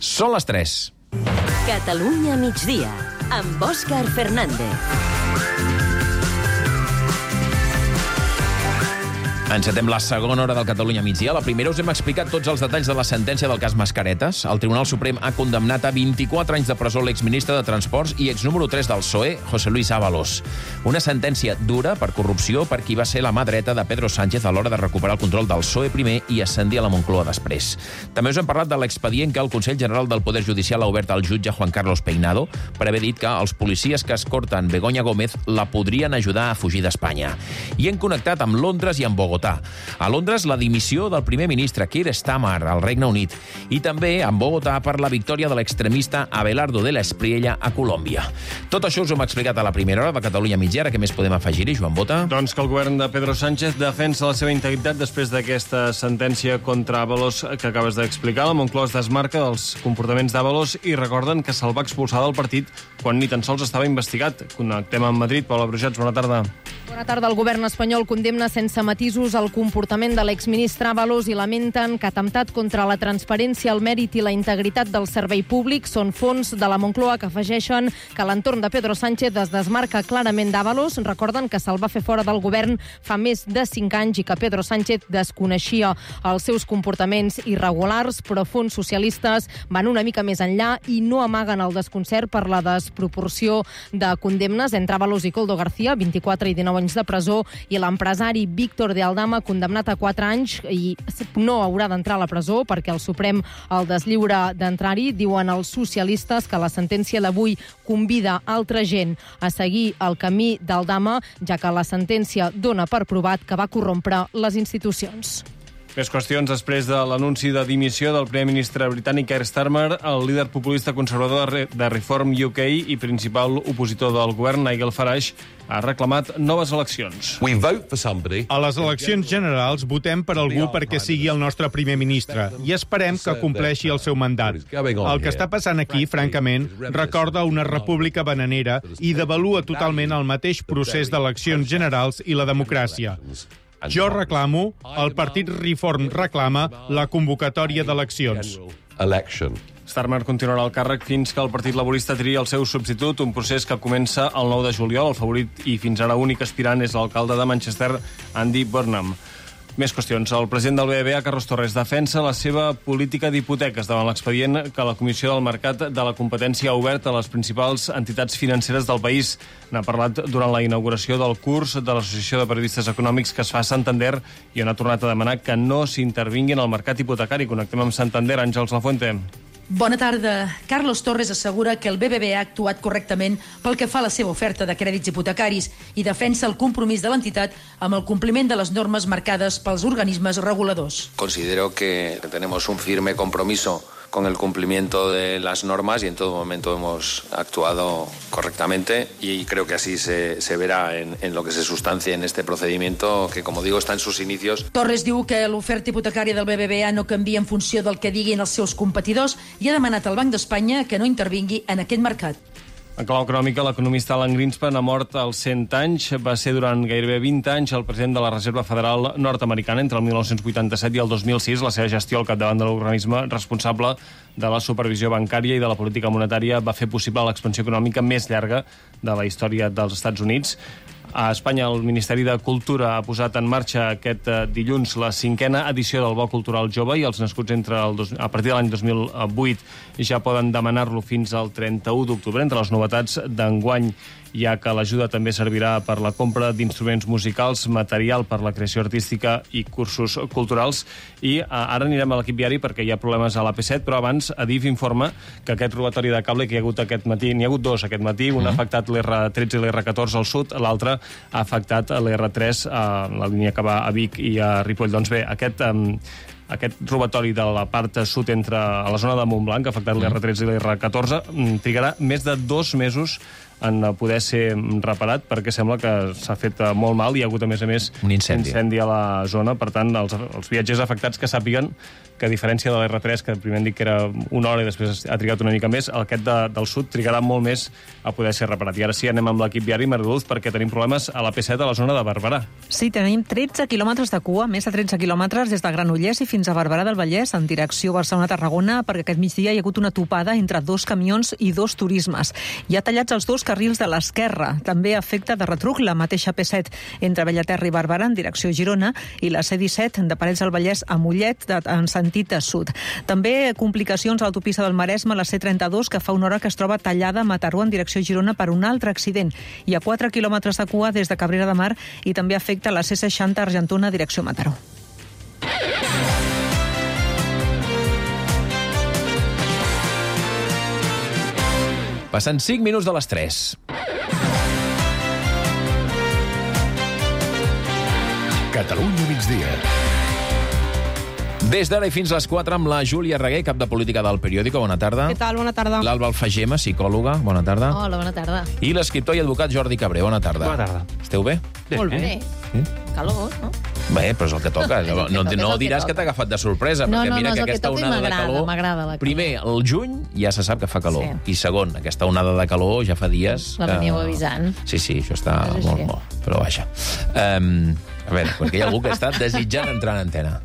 Són les 3. Catalunya migdia, amb Òscar Fernández. Encetem la segona hora del Catalunya migdia. La primera us hem explicat tots els detalls de la sentència del cas Mascaretes. El Tribunal Suprem ha condemnat a 24 anys de presó l'exministre de Transports i exnúmero 3 del PSOE, José Luis Ábalos. Una sentència dura per corrupció per qui va ser la mà dreta de Pedro Sánchez a l'hora de recuperar el control del PSOE primer i ascendir a la Moncloa després. També us hem parlat de l'expedient que el Consell General del Poder Judicial ha obert al jutge Juan Carlos Peinado per haver dit que els policies que escorten Begoña Gómez la podrien ajudar a fugir d'Espanya. I hem connectat amb Londres i amb Bogotà. A Londres, la dimissió del primer ministre Keir Starmer al Regne Unit i també en Bogotà per la victòria de l'extremista Abelardo de la Espriella a Colòmbia. Tot això us ho hem explicat a la primera hora de Catalunya migdia. Ara què més podem afegir-hi, Joan Bota? Doncs que el govern de Pedro Sánchez defensa la seva integritat després d'aquesta sentència contra Ábalos que acabes d'explicar. La Moncloa es desmarca dels comportaments d'Ábalos i recorden que se'l va expulsar del partit quan ni tan sols estava investigat. Connectem amb Madrid. Paula Brujats, bona tarda. Bona tarda. El govern espanyol condemna sense matisos el comportament de l'exministre Ábalos i lamenten que atemptat contra la transparència, el mèrit i la integritat del servei públic són fons de la Moncloa que afegeixen que l'entorn de Pedro Sánchez es desmarca clarament d'Ábalos. Recorden que se'l va fer fora del govern fa més de 5 anys i que Pedro Sánchez desconeixia els seus comportaments irregulars, però fons socialistes van una mica més enllà i no amaguen el desconcert per la desproporció de condemnes entre Ábalos i Koldo García, 24 i 19 anys de presó, i l'empresari Víctor de Aldama, condemnat a 4 anys i no haurà d'entrar a la presó perquè el Suprem el deslliura d'entrar-hi. Diuen els socialistes que la sentència d'avui convida altra gent a seguir el camí d'Aldama, ja que la sentència dona per provat que va corrompre les institucions. Més qüestions després de l'anunci de dimissió del primer ministre britànic Keir Starmer. El líder populista conservador de Reform UK i principal opositor del govern, Nigel Farage, ha reclamat noves eleccions. A les eleccions generals votem per algú perquè sigui el nostre primer ministre i esperem que compleixi el seu mandat. El que està passant aquí, francament, recorda una república bananera i devalua totalment el mateix procés d'eleccions generals i la democràcia. Jo reclamo, el partit Reform reclama la convocatòria d'eleccions. Starmer continuarà al càrrec fins que el Partit Laborista triï el seu substitut, un procés que comença el 9 de juliol. El favorit i fins ara únic aspirant és l'alcalde de Manchester, Andy Burnham. Més qüestions. El president del BBVA, Carlos Torres, defensa la seva política d'hipoteques davant l'expedient que la Comissió del Mercat de la Competència ha obert a les principals entitats financeres del país. N'ha parlat durant la inauguració del curs de l'Associació de Periodistes Econòmics que es fa a Santander i on ha tornat a demanar que no s'intervingui en el mercat hipotecari. Connectem amb Santander. Àngels Lafuente. Bona tarda. Carlos Torres assegura que el BBVA ha actuat correctament pel que fa a la seva oferta de crèdits hipotecaris i defensa el compromís de l'entitat amb el compliment de les normes marcades pels organismes reguladors. Considero que tenemos un firme compromiso con el cumplimiento de las normas y en todo momento hemos actuado correctamente y creo que así se verá en lo que se sustancie en este procedimiento que, como digo, está en sus inicios. Torres diu que l'oferta hipotecària del BBVA no canvia en funció del que diguin els seus competidors i ha demanat al Banc d'Espanya que no intervingui en aquest mercat. En clau econòmica, l'economista Alan Greenspan ha mort als 100 anys. Va ser durant gairebé 20 anys el president de la Reserva Federal nord-americana entre el 1987 i el 2006. La seva gestió al capdavant de l'organisme responsable de la supervisió bancària i de la política monetària va fer possible l'expansió econòmica més llarga de la història dels Estats Units. A Espanya, el Ministeri de Cultura ha posat en marxa aquest dilluns la 5a edició del Bo Cultural Jove i els nascuts a partir de l'any 2008 ja poden demanar-lo fins al 31 d'octubre. Entre les novetats d'enguany hi ha que l'ajuda també servirà per la compra d'instruments musicals, material per la creació artística i cursos culturals. I ara anirem a l'equip viari perquè hi ha problemes a l'AP7, però abans Adif informa que aquest robatori de cable que hi ha hagut aquest matí, n'hi ha hagut dos aquest matí, un ha afectat l'R13 i l'R14 al sud, l'altre ha afectat l'R3 a la línia que va a Vic i a Ripoll. Doncs bé, aquest robatori de la part sud a la zona de Montblanc, que ha afectat l'R13 i l'R14, trigarà més de 2 mesos en poder ser reparat, perquè sembla que s'ha fet molt mal. Hi ha hagut, a més, un incendi a la zona. Per tant, els viatgers afectats que sàpiguen que, a diferència de l'R3, que primer hem dit que era una hora i després ha trigat una mica més, aquest del sud trigarà molt més a poder ser reparat. I ara sí, anem amb l'equip viari, Mariluz, perquè tenim problemes a la P7 a la zona de Barberà. Sí, tenim 13 quilòmetres de cua, més de 13 quilòmetres des de Granollers i fins a Barberà del Vallès, en direcció Barcelona-Tarragona, perquè aquest migdia hi ha hagut una topada entre 2 camions i 2 turismes. Hi ha tallats els 2 carrils de l'esquerra. També afecta de retruc la mateixa P7 entre Bellaterra i Barberà, en direcció Girona, i la C-17 de Parets del Vallès a Mollet, en sentit de sud. També complicacions a l'autopista del Maresme, la C-32, que fa una hora que es troba tallada a Mataró en direcció Girona per un altre accident. Hi ha 4 quilòmetres de cua des de Cabrera de Mar i també afecta la C-60 Argentona direcció Mataró. Passen 5 minuts de les 3. Catalunya migdia. Des d'ara i fins les 4 amb la Júlia Reguer, cap de política del Periòdico. Bona tarda. Què tal? Bona tarda. L'Alba Alfagema, psicòloga. Bona tarda. Hola, bona tarda. I l'escriptor i advocat Jordi Cabré. Bona tarda. Bona tarda. Esteu bé? Molt bé. Sí? Calor, no? Bé, però és el que toca. No diràs que t'ha agafat de sorpresa, perquè mira que aquesta onada de calor... M'agrada la calor. Primer, el juny ja se sap que fa calor. Sí. I segon, aquesta onada de calor ja fa dies... La veníeu avisant. Sí, això està molt. Però vaja. A veure, perquè hi ha algú que està desitjant entrar en antena.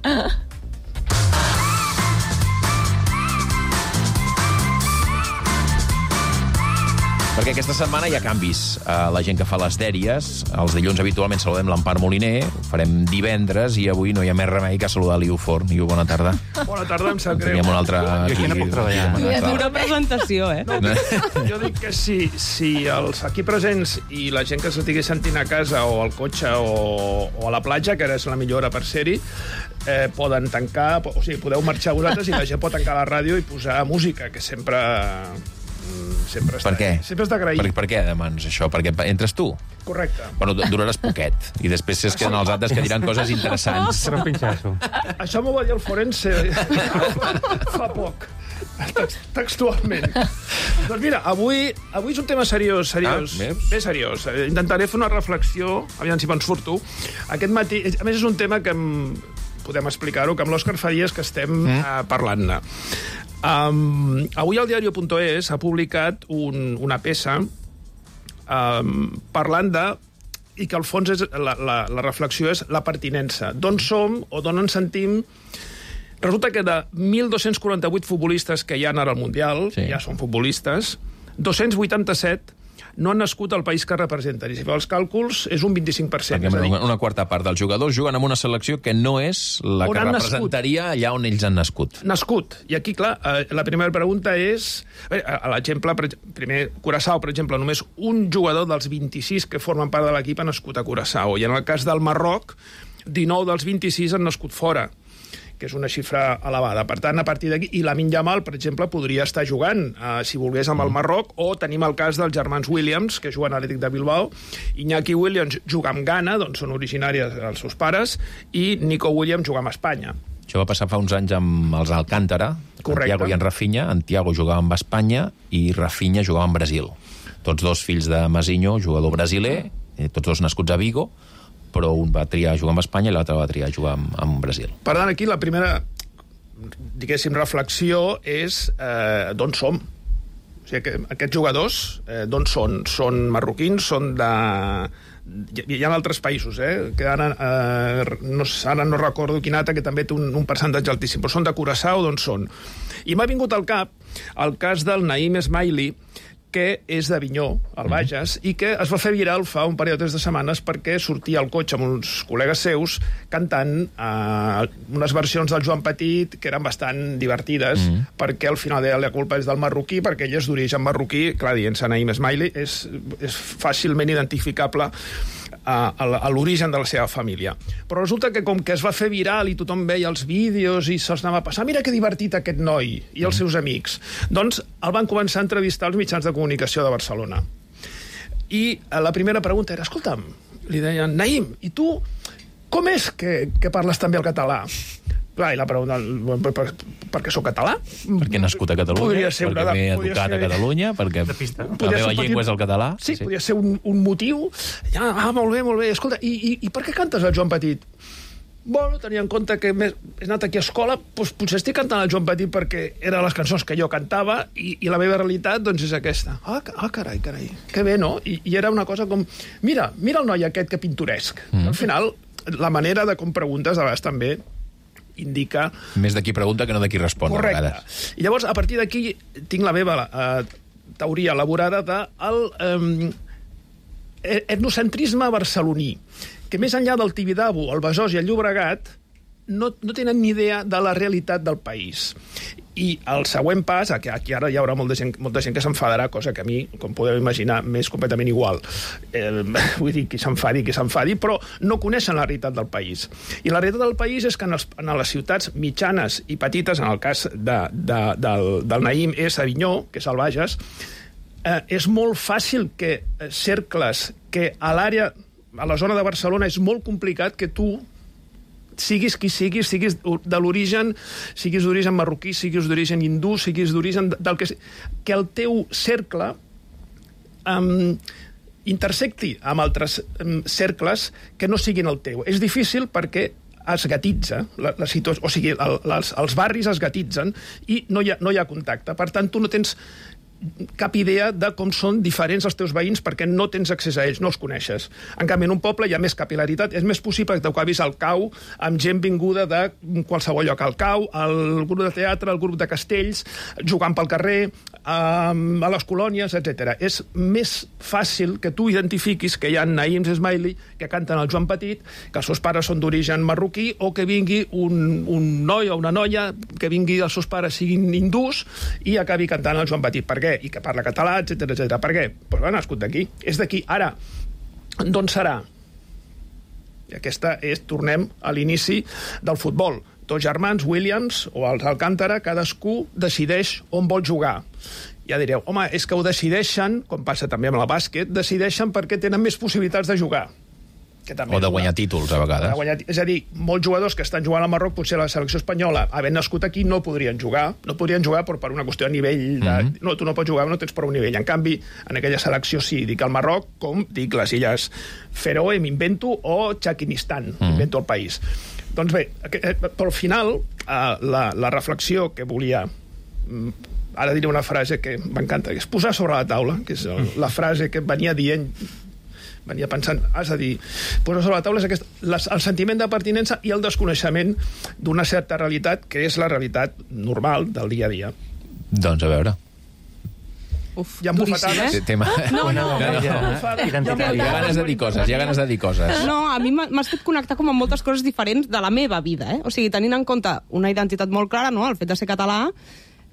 Perquè aquesta setmana hi ha canvis. La gent que fa les dèries, els dilluns habitualment saludem l'Empar Moliner, ho farem divendres i avui no hi ha més remei que saludar l'Iu Forn. Iu, bona tarda. Bona tarda, em sap greu. Teníem un altre... Jo aquí no puc treballar. Dura presentació, No, jo dic que si els aquí presents i la gent que s'estigui sentint a casa o al cotxe o a la platja, que ara és la millor hora per ser-hi, poden tancar, o sigui, podeu marxar vosaltres i la gent pot tancar la ràdio i posar música, que sempre està... Per què? Sempre és d'agrair. Per què demanes això? Perquè entres tu? Correcte. Bueno, duraràs poquet. I després es queden els altres que diran coses interessants. Serà un pinxasso. Això m'ho va dir el forense fa poc. Textualment. Doncs mira, avui és un tema seriós. Bé seriós. Intentaré fer una reflexió, aviam si me'n surto. Aquest matí, a més és un tema que podem explicar-ho, que amb l'Òscar fa dies que estem parlant-ne. Avui al diario.es ha publicat una peça parlant de... i que al fons la reflexió és la pertinença. D'on som o d'on ens sentim. Resulta que de 1.248 futbolistes que hi ha ara al Mundial, ja són futbolistes, 287 no han nascut al país que representen. I si feu els càlculs, és un 25%. Una quarta part dels jugadors juguen en una selecció que no és la que representaria allà on ells han nascut. Nascut. I aquí, clar, la primera pregunta és... L'exemple, primer, Curaçao, per exemple, només un jugador dels 26 que formen part de l'equip ha nascut a Curaçao. I en el cas del Marroc, 19 dels 26 han nascut fora, que és una xifra elevada. Per tant, a partir d'aquí... I Lamine Yamal, per exemple, podria estar jugant, si volgués, amb el Marroc, o tenim el cas dels germans Williams, que juguen a l'Atlètic de Bilbao. Iñaki Williams juga amb Ghana, d'on són originàries els seus pares, i Nico Williams juga amb Espanya. Això va passar fa uns anys amb els Alcántara, Thiago i en Rafinha. En Thiago jugava amb Espanya i Rafinha jugava amb Brasil. Tots dos fills de Mazinho, jugador brasiler, tots dos nascuts a Vigo, però un va triar jugar amb Espanya i l'altre va triar jugar amb Brasil. Per tant, aquí la primera, diguéssim, reflexió és d'on som. O sigui, que aquests jugadors, d'on són? Són marroquins, són de... Hi ha altres països, que ara no recordo quin altre, que també té un percentatge altíssim, però són de Curaçao, d'on són? I m'ha vingut al cap el cas del Naïm Esmaili, que és d'Avinyó, al Bages, i que es va fer viral fa un parell o 3 de setmanes perquè sortia al cotxe amb uns col·legues seus cantant unes versions del Joan Petit que eren bastant divertides, perquè al final la culpa és del marroquí, perquè ell és d'origen marroquí, clar, dient-se Naïm Esmaili, és fàcilment identificable a l'origen de la seva família. Però resulta que com que es va fer viral i tothom veia els vídeos i se'ls anava a passar, mira que divertit aquest noi i els seus amics, doncs el van començar a entrevistar als mitjans de comunicació de Barcelona. I la primera pregunta era, escolta'm, li deien, Naïm, i tu com és que parles també el català? Clar, i la pregunta, per què soc català? Perquè he nascut a Catalunya, perquè m'he educat a Catalunya, perquè la meva llengua és el català. Sí, podria ser un motiu. Ja, molt bé. Escolta, i per què cantes el Joan Petit? Bueno, tenia en compte que he anat aquí a escola, doncs potser estic cantant el Joan Petit perquè eren les cançons que jo cantava i la meva realitat doncs és aquesta. Carai, que bé, no? I era una cosa com, mira el noi aquest que pintoresc. Al final, la manera de com preguntes a vegades també indica... Més de qui pregunta que no de qui respon. Correcte. I llavors, a partir d'aquí, tinc la meva teoria elaborada del etnocentrisme barceloní, que més enllà del Tibidabo, el Besòs i el Llobregat, no tenen ni idea de la realitat del país. I el següent pas, que aquí ara hi haurà molta gent que s'enfadarà, cosa que a mi, com podeu imaginar, m'és completament igual. Vull dir, qui s'enfadi, però no coneixen la realitat del país. I la realitat del país és que en les ciutats mitjanes i petites, en el cas del Naïm és Avinyó, que és el Bages, és molt fàcil que cercles que a l'àrea, a la zona de Barcelona, és molt complicat que tu siguis qui siguis de l'origen, siguis d'origen marroquí, siguis d'origen hindú, siguis d'origen del que el teu cercle intersecti amb altres cercles que no siguin el teu. És difícil perquè es gatitza la situació, o sigui, els barris es gatitzen i no hi ha contacte. Per tant, tu no tens cap idea de com són diferents els teus veïns perquè no tens accés a ells, no els coneixes. En canvi, en un poble hi ha més capil·laritat, és més possible que t'acabis al Cau amb gent vinguda de qualsevol lloc, al Cau, al grup de teatre, al grup de castells, jugant pel carrer, a les colònies, etc. És més fàcil que tu identifiquis que hi ha Naïms Esmaili que canten el Joan Petit, que els seus pares són d'origen marroquí, o que vingui un noi o una noia, que vingui els seus pares siguin hindús i acabi cantant el Joan Petit. Per què? I que parla català, etc. Per què? Doncs va nascut d'aquí. És d'aquí. Ara, d'on serà? I aquesta és, tornem a l'inici del futbol. Dos germans, Williams o els Alcántara, cadascú decideix on vol jugar. Ja direu, home, és que ho decideixen, com passa també amb el bàsquet, decideixen perquè tenen més possibilitats de jugar. O de guanyar títols, a vegades. És a dir, molts jugadors que estan jugant al Marroc, potser la selecció espanyola, havent nascut aquí, no podrien jugar, però per una qüestió a nivell de... No, tu no pots jugar, no tens prou nivell. En canvi, en aquella selecció sí, dic el Marroc, com dic les illes Feroe, m'invento, o Txaquinistan, m'invento el país. Doncs bé, però al final, la reflexió que volia... Ara diré una frase que m'encanta, que és posar sobre la taula, que és la frase que venia pensant, has de dir, posar sobre la taula és el sentiment de pertinença i el desconeixement d'una certa realitat, que és la realitat normal del dia a dia. Doncs a veure. Hi ha bufetades? No. Hi ha ganes de dir coses, No, a mi m'ha estat connectar com amb moltes coses diferents de la meva vida, O sigui, tenint en compte una identitat molt clara, no?, el fet de ser català.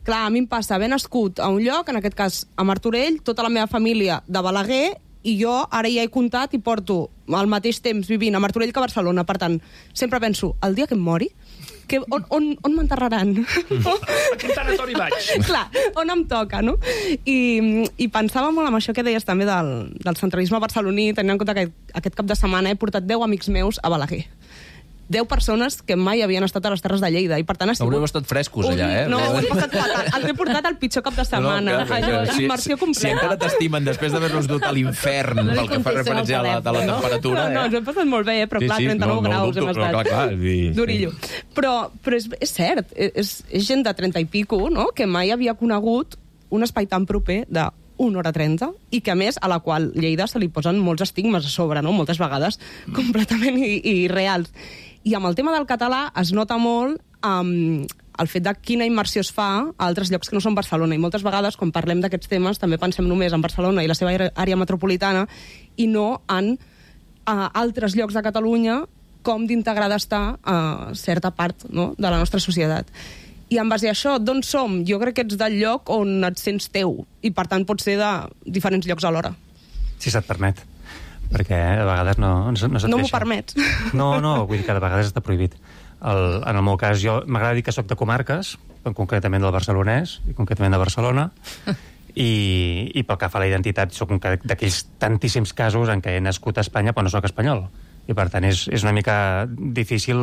Clar, a mi em passa haver nascut a un lloc, en aquest cas a Martorell, tota la meva família de Balaguer, i jo ara ja he comptat i porto al mateix temps vivint a Martorell que a Barcelona. Per tant, sempre penso, el dia que em mori, on m'enterraran? A quin tanatori vaig? Clar, on em toca, no? I pensava molt en això que deies també del centralisme barceloní, tenint en compte que aquest cap de setmana he portat 10 amics meus a Balaguer. 10 persones que mai havien estat a les Terres de Lleida, i per tant ha sigut... Haureu estat frescos allà, No, ho he passat fatal. Els he portat al pitjor cap de setmana. Immersió completa. Si encara t'estimen després d'haver-los dut a l'infern pel que fa referència a la temperatura... No, ens ho hem passat molt bé, però clar, 39 graus hem estat. Durillo. Però és cert, és gent de 30 i pico, no?, que mai havia conegut un espai tan proper de 1 hora 30, i que a més a la qual Lleida se li posen molts estigmes a sobre, no?, moltes vegades completament irreals. I amb el tema del català es nota molt el fet de quina immersió es fa a altres llocs que no són Barcelona. I moltes vegades, quan parlem d'aquests temes, també pensem només en Barcelona i la seva àrea metropolitana i no en altres llocs de Catalunya com d'integrada està a certa part, no?, de la nostra societat. I en base a això, d'on som? Jo crec que ets del lloc on et sents teu i, per tant, pot ser de diferents llocs alhora. Si se't permet. Perquè a vegades no se't deixa. No m'ho permets. No, vull dir que de vegades està prohibit. En el meu cas, jo m'agrada dir que soc de comarques, concretament del barcelonès, i concretament de Barcelona, i pel que fa a la identitat, soc d'aquells tantíssims casos en què he nascut a Espanya però no soc espanyol. I, per tant, és una mica difícil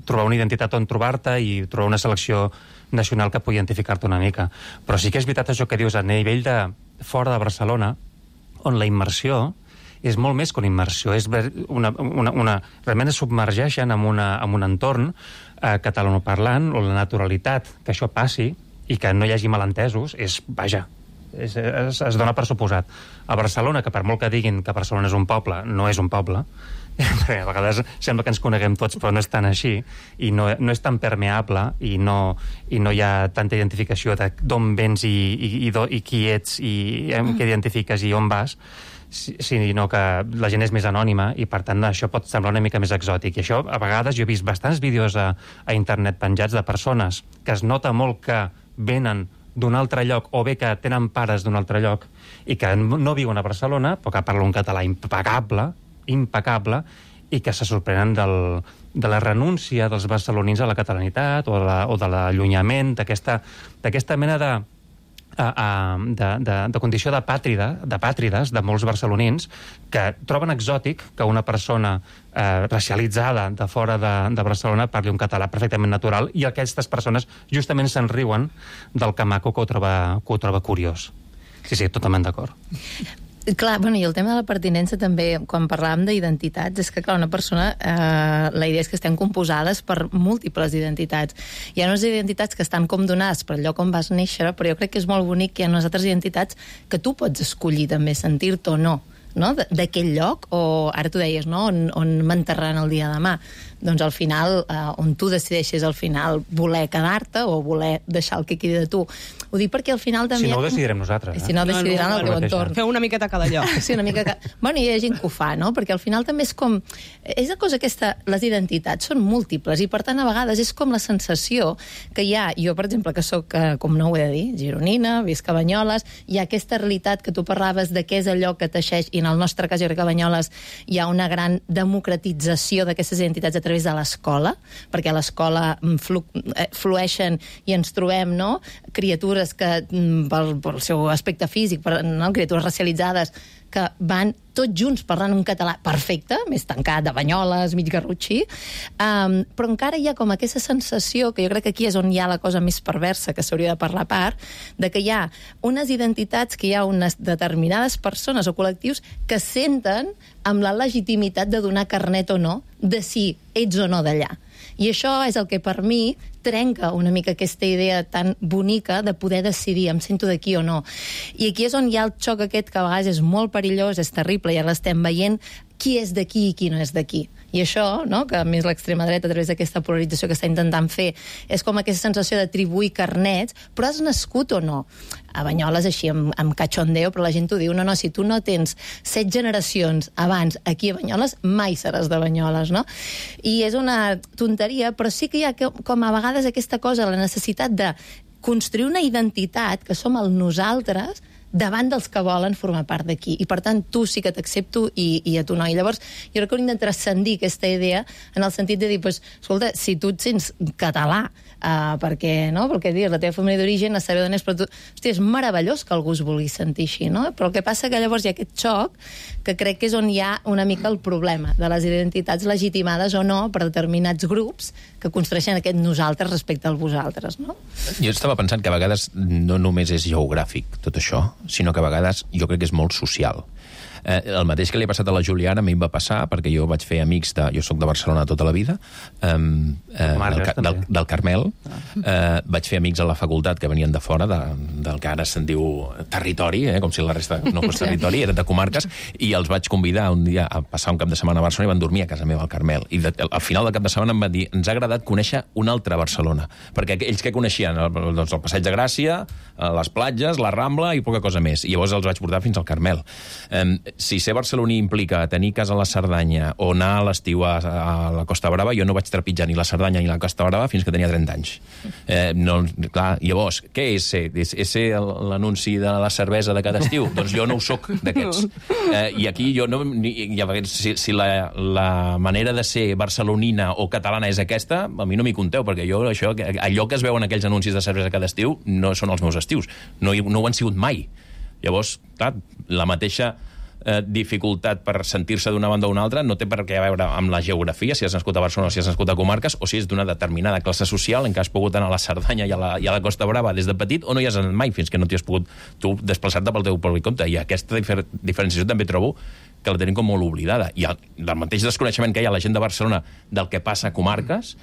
trobar una identitat on trobar-te i trobar una selecció nacional que pugui identificar-te una mica. Però sí que és veritat això que dius, a nivell de fora de Barcelona, on la immersió és molt més que una immersió, és realment es submergeixen en un entorn catalanoparlant, on la naturalitat que això passi i que no hi hagi malentesos és, vaja, es dona per suposat. A Barcelona, que per molt que diguin que Barcelona és un poble, no és un poble, perquè a vegades sembla que ens coneguem tots, però no és tan així, i no és tan permeable, i no hi ha tanta identificació d'on vens i qui ets, i amb què identifiques i on vas, sinó que la gent és més anònima i, per tant, això pot semblar una mica més exòtic. I això, a vegades, jo he vist bastants vídeos a internet penjats de persones que es nota molt que venen d'un altre lloc, o bé que tenen pares d'un altre lloc i que no viuen a Barcelona, però que parlen un català impecable, i que se sorprenen de la renúncia dels barcelonins a la catalanitat o de l'allunyament, d'aquesta mena de condició de pàtrides de molts barcelonins que troben exòtic que una persona racialitzada de fora de Barcelona parli un català perfectament natural, i aquestes persones justament se'n riuen del camaco que ho troba curiós. Sí, totalment d'acord. Clar, bueno, i el tema de la pertinença també, quan parlàvem d'identitats, és que, clar, una persona, la idea és que estem composades per múltiples identitats. Hi ha unes identitats que estan com donades per el lloc on vas néixer, però jo crec que és molt bonic que hi ha unes altres identitats que tu pots escollir també sentir-te o no d'aquell lloc, o ara tu deies, no? On m'enterraran el dia de demà. Doncs al final, on tu decideixes al final voler quedar-te o voler deixar el que quedi de tu. Ho dic perquè al final també... Si no ho decidirem nosaltres. Si no ho decidiran el teu entorn. Feu una miqueta cada lloc. Sí, una mica... Bueno, hi ha gent que ho fa, no? Perquè al final també és com... És la cosa aquesta... Les identitats són múltiples i, per tant, a vegades és com la sensació que hi ha... Jo, per exemple, que sóc, com no ho he de dir, gironina, visc a Banyoles, hi ha aquesta realitat que tu parlaves de què és allò que teixeix, i en el nostre cas, jo crec que a Banyoles hi ha una gran democratització d'aquestes identitats a través de l'escola, perquè a l'escola flueixen i ens trobem, no?, criatures que, pel seu aspecte físic, criatures racialitzades, que van tots junts parlant un català perfecte, més tancat, de Banyoles, mig garrotxí, però encara hi ha com aquesta sensació, que jo crec que aquí és on hi ha la cosa més perversa, que s'hauria de parlar a part, de que hi ha unes identitats, que hi ha unes determinades persones o col·lectius que senten amb la legitimitat de donar carnet o no, de si ets o no d'allà. I això és el que per mi trenca una mica aquesta idea tan bonica de poder decidir, em sento d'aquí o no. I aquí és on hi ha el xoc aquest que a vegades és molt perillós, és terrible, i ara l'estem veient, qui és d'aquí i qui no és d'aquí. I això, no?, que a més l'extrema dreta, a través d'aquesta polarització que està intentant fer, és com aquesta sensació d'atribuir carnets, però has nascut o no? A Banyoles, així, amb cachondeo, però la gent t'ho diu, no, si tu no tens 7 generacions abans aquí a Banyoles, mai seràs de Banyoles, no? I és una tonteria, però sí que hi ha com a vegades aquesta cosa, la necessitat de construir una identitat, que som el nosaltres, davant dels que volen formar part d'aquí. I, per tant, tu sí que t'accepto i a tu no. I llavors, jo crec que hauríem de transcendir aquesta idea en el sentit de dir, pues, escolta, si tu et sents català, perquè, no?, perquè dius, la teva família d'origen, a saber d'on és, però tu... Hòstia, és meravellós que algú es vulgui sentir així, no? Però el que passa que llavors hi ha aquest xoc que crec que és on hi ha una mica el problema de les identitats legitimades o no per determinats grups que construeixen aquest nosaltres respecte al vosaltres, no? Jo estava pensant que a vegades no només és geogràfic tot això, sinó que a vegades jo crec que és molt social. El mateix que li ha passat a la Juliana a mi em va passar, perquè jo vaig fer amics jo soc de Barcelona tota la vida, del Carmel, vaig fer amics a la facultat que venien de fora, del que ara se'n diu territori, com si la resta no fos territori, eren de comarques, i els vaig convidar un dia a passar un cap de setmana a Barcelona i van dormir a casa meva al Carmel. I al final del cap de setmana em van dir, ens ha agradat conèixer una altra Barcelona, perquè ells que coneixien? Doncs el Passeig de Gràcia, les platges, la Rambla i poca cosa més. I llavors els vaig portar fins al Carmel. Si ser barceloní implica tenir casa a la Cerdanya o anar a l'estiu a la Costa Brava, jo no vaig trepitjar ni la Cerdanya ni la Costa Brava fins que tenia 30 anys. Clar, llavors, què és ser? És ser l'anunci de la cervesa de cada estiu? Doncs jo no ho soc d'aquests. I aquí jo no... Si la manera de ser barcelonina o catalana és aquesta, a mi no m'hi compteu, perquè jo allò que es veuen aquells anuncis de cervesa cada estiu no són els meus estius. No ho han sigut mai. Llavors, clar, la mateixa dificultat per sentir-se d'una banda o una altra no té per què veure amb la geografia, si has nascut a Barcelona o si has nascut a comarques, o si és d'una determinada classe social en què has pogut anar a la Cerdanya i a la Costa Brava des de petit, o no hi has anat mai fins que no t'hi has pogut tu desplaçar-te pel teu propi compte. I aquesta diferenciació també trobo que la tenim com molt oblidada. I del mateix desconeixement que hi ha la gent de Barcelona del que passa a comarques,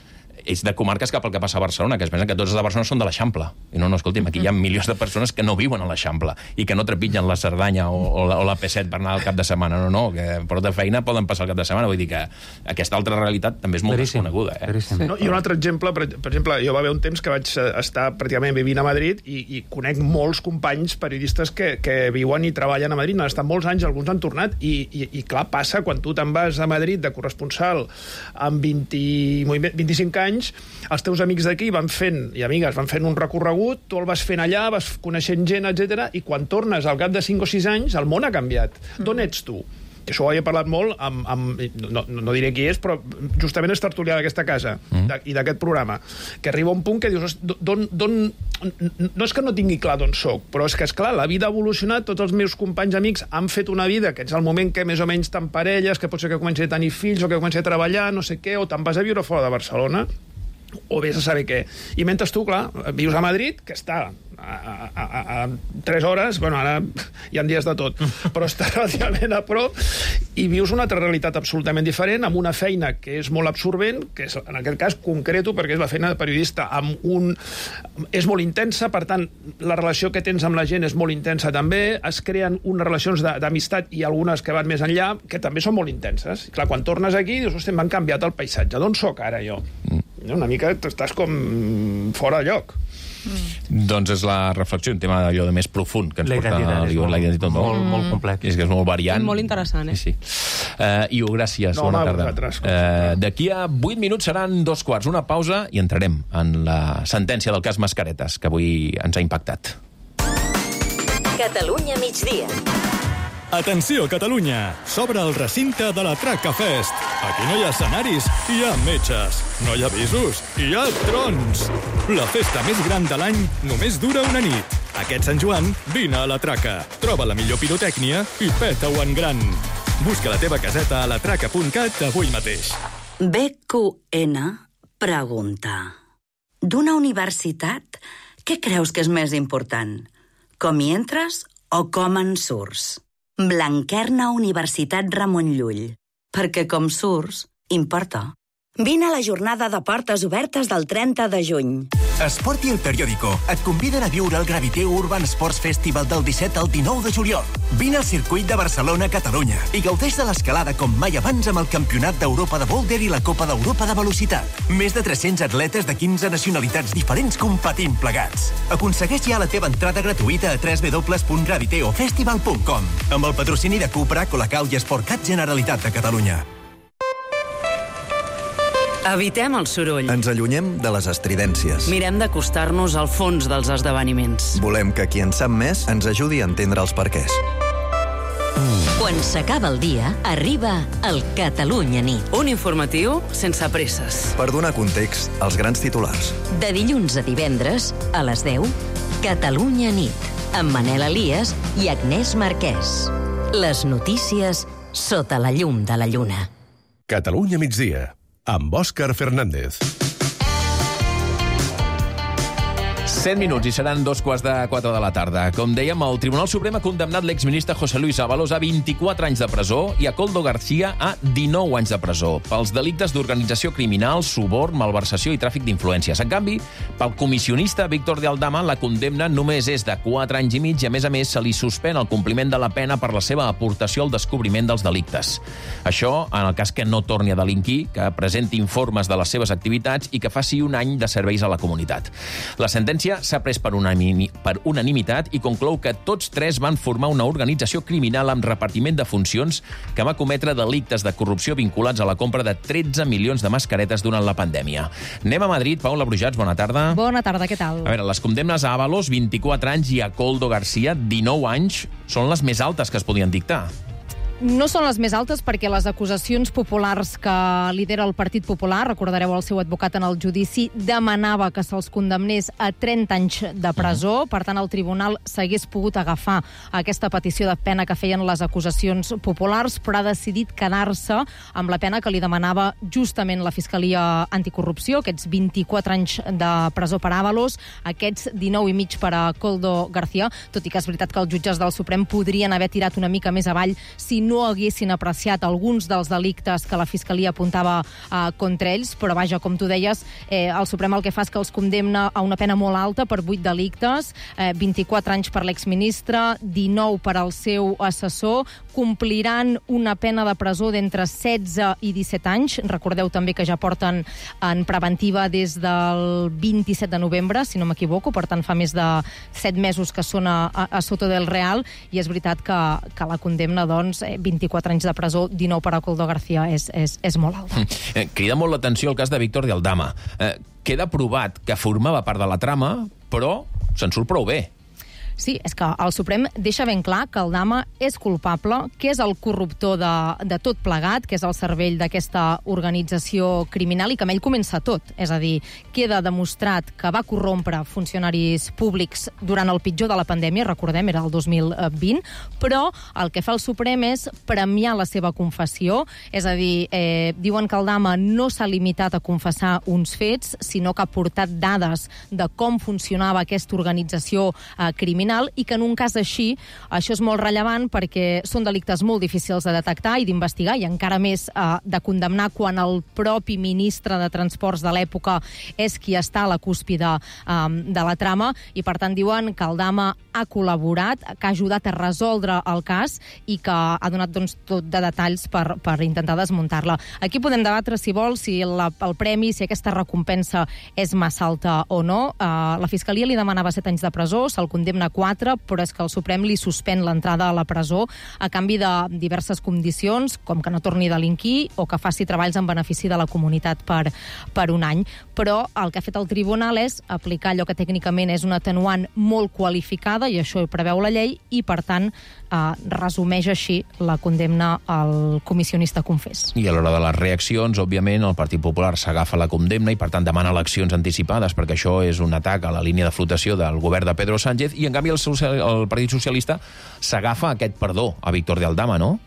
és de comarques cap al que passa a Barcelona, que es pensen que tots els de Barcelona són de l'Eixample. I no, escolti'm, aquí hi ha milions de persones que no viuen a l'Eixample i que no trepitgen la Cerdanya o la P7 per anar al cap de setmana. No, que per de feina poden passar el cap de setmana. Vull dir que aquesta altra realitat també és molt desconeguda. No, I un altre exemple, per exemple, jo va haver un temps que vaig estar pràcticament vivint a Madrid i conec molts companys periodistes que viuen i treballen a Madrid, han estat molts anys, alguns han tornat, i clar, passa quan tu te'n vas a Madrid de corresponsal amb 25 anys, els teus amics d'aquí van fent, i amigues, van fent un recorregut, tu el vas fent allà, vas coneixent gent, etc. I quan tornes al cap de 5 o 6 anys, el món ha canviat. D'on ets tu? Que això ho havia parlat molt no diré qui és, però justament és tertulià d'aquesta casa i d'aquest programa, que arriba un punt que dius, no és que no tingui clar d'on soc, però és que, esclar, la vida ha evolucionat, tots els meus companys amics han fet una vida, que ets el moment que més o menys t'emparelles, que pot ser que comenci a tenir fills o que comenci a treballar, no sé què, o te'n vas a viure fora de Barcelona, o vés a saber què. I mentre tu, clar, vius a Madrid, que està a 3 hores, bueno, ara hi ha dies de tot, però està relativament a prop, i vius una altra realitat absolutament diferent, amb una feina que és molt absorbent, que és, en aquest cas, concreto, perquè és la feina de periodista, és molt intensa, per tant, la relació que tens amb la gent és molt intensa també, es creen unes relacions d'amistat i algunes que van més enllà, que també són molt intenses. I clar, quan tornes aquí, dius, hosti, m'han canviat el paisatge, d'on soc ara jo? Una mica estàs com fora de lloc. Doncs és la reflexió, un tema allò de més profund que ens porta la identitat. Molt complex. És que és molt variant. Molt interessant, Sí. Iu, gràcies. Bona tarda. D'aquí a 8 minuts seran 2:15. Una pausa i entrarem en la sentència del cas Mascaretes, que avui ens ha impactat. Catalunya migdia. Atenció, Catalunya! S'obre el recinte de la Traca Fest. Aquí no hi ha escenaris, hi ha metges. No hi ha avisos, hi ha trons. La festa més gran de l'any només dura una nit. Aquest Sant Joan, vine a la Traca. Troba la millor pirotècnia i peta-ho en gran. Busca la teva caseta a latraca.cat avui mateix. BQN pregunta: d'una universitat, què creus que és més important? Com hi entres o com en surts? Blanquerna Universitat Ramon Llull. Perquè com surts, importa. Vine a la jornada de portes obertes del 30 de juny. Esport i El Periódico et conviden a viure el Graviteu Urban Sports Festival del 17 al 19 de juliol. Vine al circuit de Barcelona-Catalunya i gaudeix de l'escalada com mai abans amb el Campionat d'Europa de Boulder i la Copa d'Europa de Velocitat. Més de 300 atletes de 15 nacionalitats diferents competint plegats. Aconsegueix ja la teva entrada gratuïta a www.graviteofestival.com amb el patrocini de Cupra, Colacau i Sportcat Generalitat de Catalunya. Evitem el soroll. Ens allunyem de les estridències. Mirem d'acostar-nos al fons dels esdeveniments. Volem que qui en sap més ens ajudi a entendre els perquès. Quan s'acaba el dia, arriba el Catalunya Nit. Un informatiu sense presses. Per donar context als grans titulars. De dilluns a divendres, a les 10, Catalunya Nit, amb Manel Elias i Agnès Marquès. Les notícies sota la llum de la lluna. Catalunya migdia, amb Òscar Fernández. 100 minuts i seran 3:45 de la tarda. Com dèiem, el Tribunal Suprem ha condemnat l'exministre José Luis Ábalos a 24 anys de presó i a Koldo García a 19 anys de presó pels delictes d'organització criminal, suborn, malversació i tràfic d'influències. En canvi, pel comissionista Víctor de Aldama, la condemna només és de 4 anys i mig i, a més, se li suspèn el compliment de la pena per la seva aportació al descobriment dels delictes. Això en el cas que no torni a delinquir, que presenti informes de les seves activitats i que faci un any de serveis a la comunitat. La sentència s'ha pres per unanimitat i conclou que tots tres van formar una organització criminal amb repartiment de funcions que va cometre delictes de corrupció vinculats a la compra de 13 milions de mascaretes durant la pandèmia. Anem a Madrid. Paula Brujats, bona tarda. Bona tarda, què tal? A veure, les condemnes a Ábalos, 24 anys, i a Koldo García, 19 anys, són les més altes que es podien dictar. No són les més altes perquè les acusacions populars que lidera el Partit Popular, recordareu el seu advocat en el judici, demanava que se'ls condemnés a 30 anys de presó. Per tant, el tribunal s'hagués pogut agafar aquesta petició de pena que feien les acusacions populars, però ha decidit quedar-se amb la pena que li demanava justament la Fiscalia Anticorrupció, aquests 24 anys de presó per Ábalos, aquests 19 i mig per a Koldo García, tot i que és veritat que els jutges del Suprem podrien haver tirat una mica més avall si no haguessin apreciat alguns dels delictes que la Fiscalia apuntava contra ells, però vaja, com tu deies, el Suprem el que fa és que els condemna a una pena molt alta per 8 delictes, 24 anys per l'exministre, 19 per al seu assessor, compliran una pena de presó d'entre 16 i 17 anys. Recordeu també que ja porten en preventiva des del 27 de novembre, si no m'equivoco, per tant fa més de 7 mesos que són a Soto del Real, i és veritat que la condemna, doncs, 24 anys de presó, 19 per a Koldo García, és molt alta. Crida molt l'atenció el cas de Víctor de Aldama. Queda provat que formava part de la trama, però se'n surt prou bé. Sí, és que el Suprem deixa ben clar que Aldama és culpable, que és el corruptor de tot plegat, que és el cervell d'aquesta organització criminal i que amb ell comença tot. És a dir, queda demostrat que va corrompre funcionaris públics durant el pitjor de la pandèmia, recordem, era el 2020, però el que fa el Suprem és premiar la seva confessió, és a dir, diuen que Aldama no s'ha limitat a confessar uns fets, sinó que ha portat dades de com funcionava aquesta organització criminal, i que en un cas així, això és molt rellevant perquè són delictes molt difícils de detectar i d'investigar, i encara més de condemnar quan el propi ministre de Transports de l'època és qui està a la cúspide de la trama, i per tant diuen que Aldama ha col·laborat, que ha ajudat a resoldre el cas i que ha donat, doncs, tot de detalls per intentar desmuntar-la. Aquí podem debatre, si vol, si el premi, si aquesta recompensa és massa alta o no. La Fiscalia li demanava 7 anys de presó, se'l condemna 4, però és que el Suprem li suspèn l'entrada a la presó a canvi de diverses condicions, com que no torni a delinquir o que faci treballs en benefici de la comunitat per un any. Però el que ha fet el tribunal és aplicar allò que tècnicament és una atenuant molt qualificada, i això ho preveu la llei, i per tant resumeix així la condemna al comissionista confés. I a l'hora de les reaccions, òbviament, el Partit Popular s'agafa la condemna i, per tant, demana eleccions anticipades, perquè això és un atac a la línia de flotació del govern de Pedro Sánchez, i, en canvi, el Partit Socialista s'agafa aquest perdó a Víctor de Aldama, no?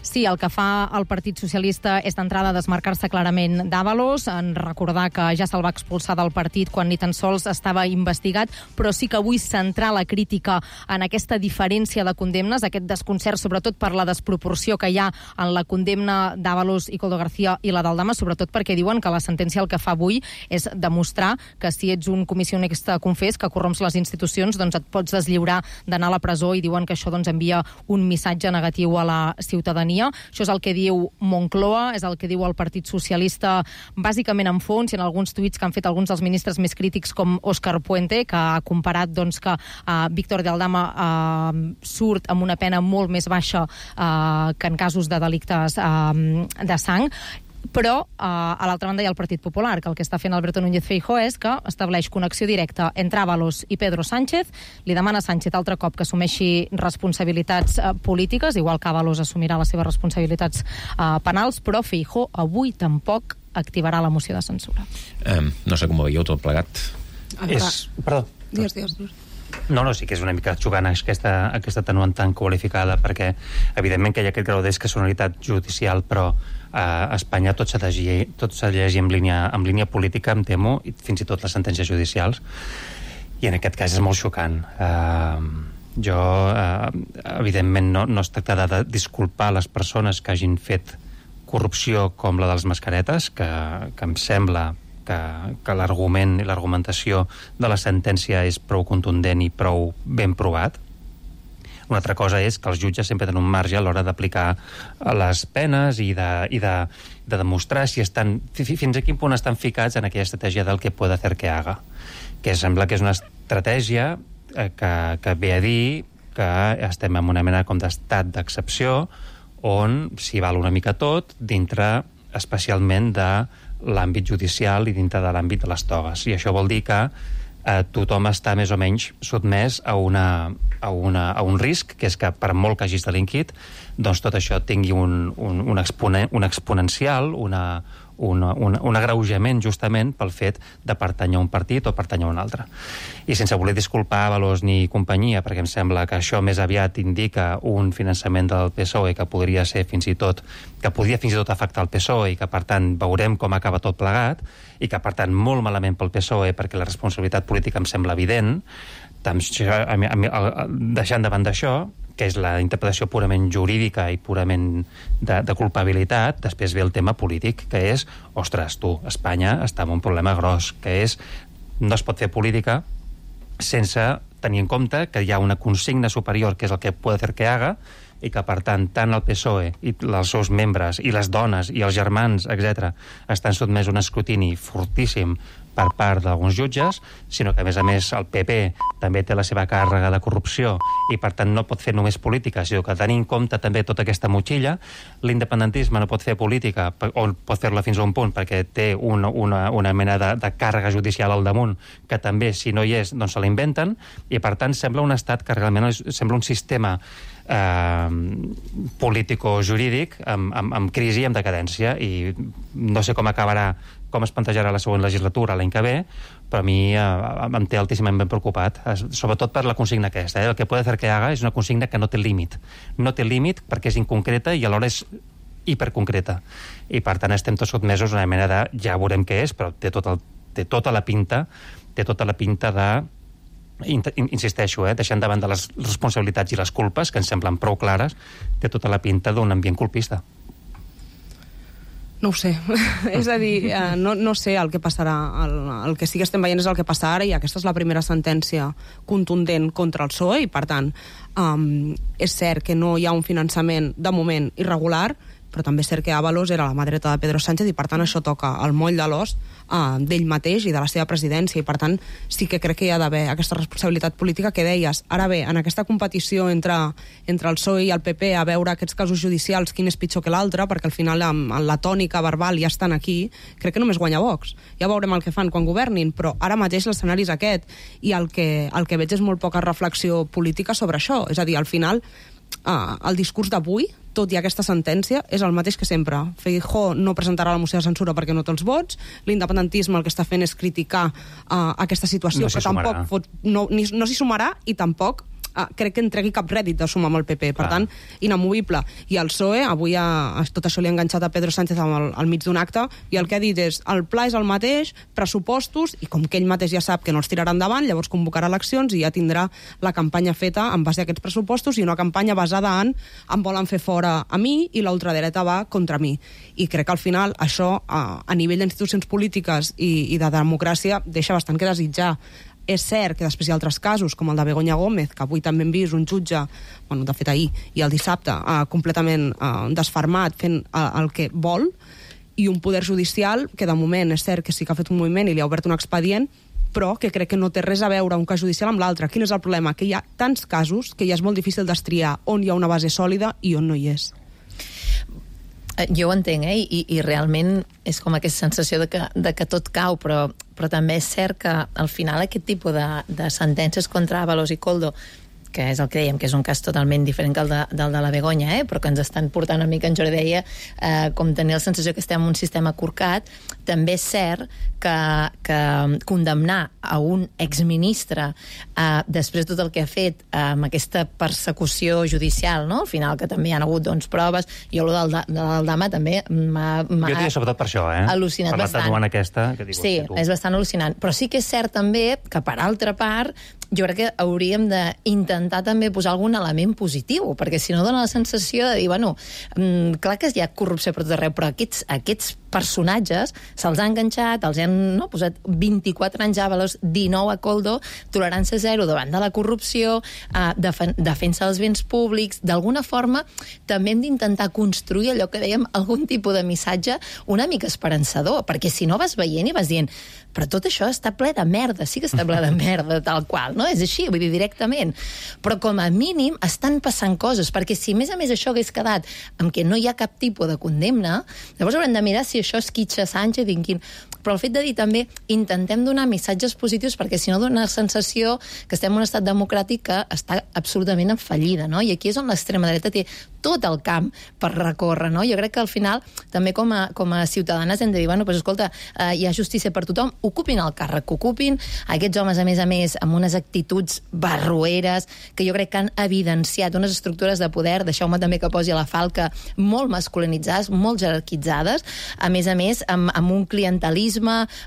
Sí, el que fa el Partit Socialista és d'entrada desmarcar-se clarament d'Ábalos, en recordar que ja se'l va expulsar del partit quan ni tan sols estava investigat, però sí que avui centrar la crítica en aquesta diferència de condemnes, aquest desconcert, sobretot per la desproporció que hi ha en la condemna d'Ábalos i Koldo García i la d'Aldama, sobretot perquè diuen que la sentència el que fa avui és demostrar que si ets un comissionista confés que corromps les institucions, doncs et pots deslliurar d'anar a la presó, i diuen que això, doncs, envia un missatge negatiu a la ciutadania. Això és el que diu Moncloa, és el que diu el Partit Socialista, bàsicament en fons, i en alguns tuits que han fet alguns dels ministres més crítics, com Óscar Puente, que ha comparat, doncs, que Víctor de Aldama surt amb una pena molt més baixa que en casos de delictes de sang. Però, a l'altra banda, hi ha el Partit Popular, que el que està fent Alberto Núñez Feijóo és que estableix connexió directa entre Ábalos i Pedro Sánchez, li demana a Sánchez altre cop que assumeixi responsabilitats polítiques, igual que Ábalos assumirà les seves responsabilitats penals, però Feijóo avui tampoc activarà la moció de censura. No sé com ho veieu tot plegat. Perdó. Digues. No, sí que és una mica xugant aquesta atenuant tan qualificada, perquè evidentment que hi ha aquest grau d'excepcionalitat judicial, però a Espanya tot s'ha de llegir en línia política, em temo, i fins i tot les sentències judicials, i en aquest cas és molt xocant. Evidentment no es tracta de disculpar les persones que hagin fet corrupció com la dels mascaretes, que em sembla que l'argument i l'argumentació de la sentència és prou contundent i prou ben provat. Una altra cosa és que els jutges sempre tenen un marge a l'hora d'aplicar les penes i de demostrar si estan, fins a quin punt estan ficats en aquella estratègia del que puede hacer que haga, que sembla que és una estratègia que ve a dir que estem en una mena com d'estat d'excepció on s'hi val una mica tot dintre especialment de l'àmbit judicial i dintre de l'àmbit de les togues. I això vol dir que tothom està més o menys sotmès a un risc, que és que per molt que hagis delinquit, doncs tot això tingui un exponencial, un agreujament justament pel fet de pertànyer a un partit o pertànyer a un altre. I sense voler disculpar Avalos ni companyia, perquè em sembla que això més aviat indica un finançament del PSOE que podria ser fins i tot afectar el PSOE, i que per tant veurem com acaba tot plegat, i que per tant molt malament pel PSOE, perquè la responsabilitat política em sembla evident. Deixant de banda això, que és la interpretació purament jurídica i purament de culpabilitat, després ve el tema polític, que és, ostres, Espanya està en un problema gros, que és, no es pot fer política sense tenir en compte que hi ha una consigna superior, que és el que puede hacer que haga, i que, per tant, tant el PSOE i els seus membres, i les dones, i els germans, etc., estan sotmès a un escrutini fortíssim per part d'alguns jutges, sinó que, a més, el PP també té la seva càrrega de corrupció i, per tant, no pot fer només política, sinó que tenir en compte també tota aquesta motxilla. L'independentisme no pot fer política, o pot fer-la fins a un punt, perquè té una mena de càrrega judicial al damunt, que també, si no hi és, doncs se la inventen, i, per tant, sembla un estat que realment sembla un sistema político-jurídic amb crisi i amb decadència, i no sé com acabarà, com es plantejarà la següent legislatura l'any que ve, però a mi em té altíssimament ben preocupat, sobretot per la consigna aquesta. El que puede hacer que haga és una consigna que no té límit. No té límit perquè és inconcreta i alhora és hiperconcreta. I per tant estem tots sotmesos a una mena de, ja veurem què és, però té tota la pinta de, insisteixo, deixant davant de les responsabilitats i les culpes, que ens semblen prou clares, té tota la pinta d'un ambient colpista. No ho sé. És a dir, no sé el que passarà. El que sí que estem veient és el que passa ara, i aquesta és la primera sentència contundent contra el PSOE, i per tant és cert que no hi ha un finançament de moment irregular, però també és cert que Ábalos era la mà dreta de Pedro Sánchez, i per tant això toca el moll de l'os d'ell mateix i de la seva presidència, i per tant sí que crec que hi ha d'haver aquesta responsabilitat política que deies. Ara bé, en aquesta competició entre el PSOE i el PP, a veure aquests casos judicials quin és pitjor que l'altre, perquè al final amb la tònica verbal ja estan aquí, crec que només guanya Vox. Ja veurem el que fan quan governin, però ara mateix l'escenari és aquest, i el que veig és molt poca reflexió política sobre això. És a dir, al final el discurs d'avui, tot i aquesta sentència, és el mateix que sempre. Feijóo no presentarà la moció de censura perquè no té els vots, l'independentisme el que està fent és criticar aquesta situació, però tampoc no s'hi sumarà, i tampoc crec que entregui cap rèdit de sumar amb el PP, per tant, inamovible. I el PSOE, avui tot això li ha enganxat a Pedro Sánchez al mig d'un acte, i el que ha dit és, el pla és el mateix, pressupostos, i com que ell mateix ja sap que no els tirarà endavant, llavors convocarà eleccions i ja tindrà la campanya feta en base a aquests pressupostos, i una campanya basada en em volen fer fora a mi i la ultradreta va contra mi. I crec que al final això, a nivell d'institucions polítiques i de democràcia, deixa bastant que desitjar. És cert que després hi ha altres casos, com el de Begoña Gómez, que avui també hem vist un jutge, bueno, de fet ahir, i el dissabte, completament desfermat, fent el que vol, i un poder judicial que de moment és cert que sí que ha fet un moviment i li ha obert un expedient, però que crec que no té res a veure un cas judicial amb l'altre. Quin és el problema? Que hi ha tants casos que ja és molt difícil destriar on hi ha una base sòlida i on no hi és. Jo ho entenc, i realment és com aquesta sensació de que tot cau, però també és cert que al final aquest tipus de sentències contra Ábalos i Koldo, que és el que dèiem, que és un cas totalment diferent que el de la Begoña, però que ens estan portant una mica, en Jordi deia, com tenir la sensació que estem en un sistema corcat. També és cert que condemnar a un exministre després de tot el que ha fet amb aquesta persecució judicial, no? Al final, que també hi ha hagut proves, jo el del Dama també m'ha jo diria sobretot per això, al·lucinat bastant. Sí, és bastant al·lucinant. Però sí que és cert també que, per altra part, jo crec que hauríem d'intentar també posar algun element positiu, perquè si no dona la sensació de dir, bueno, clar que hi ha corrupció per tot arreu, però aquests personatges se'ls ha enganxat, els han posat 24 anys a Ábalos, 19 a Koldo, tolerància zero davant de la corrupció, defensa dels béns públics. D'alguna forma també hem d'intentar construir allò que dèiem, algun tipus de missatge una mica esperançador, perquè si no vas veient i vas dient, però tot això està ple de merda, sí que està ple de merda, tal qual, no? És així, vull dir, directament. Però com a mínim estan passant coses, perquè si a més això hagués quedat amb que no hi ha cap tipus de condemna, llavors haurem de mirar si això esquitxa Sánchez, però el fet de dir també intentem donar missatges positius, perquè si no dona la sensació que estem en un estat democràtic que està absolutament en fallida, no? I aquí és on l'extrema dreta té tot el camp per recórrer, no? Jo crec que al final també com a ciutadanes hem de dir, bueno, pues escolta, hi ha justícia per tothom, ocupin el càrrec que ocupin, aquests homes a més amb unes actituds barroeres que jo crec que han evidenciat unes estructures de poder, deixeu-me també que posi la falca, molt masculinitzades, molt jerarquitzades, a més amb un clientelisme,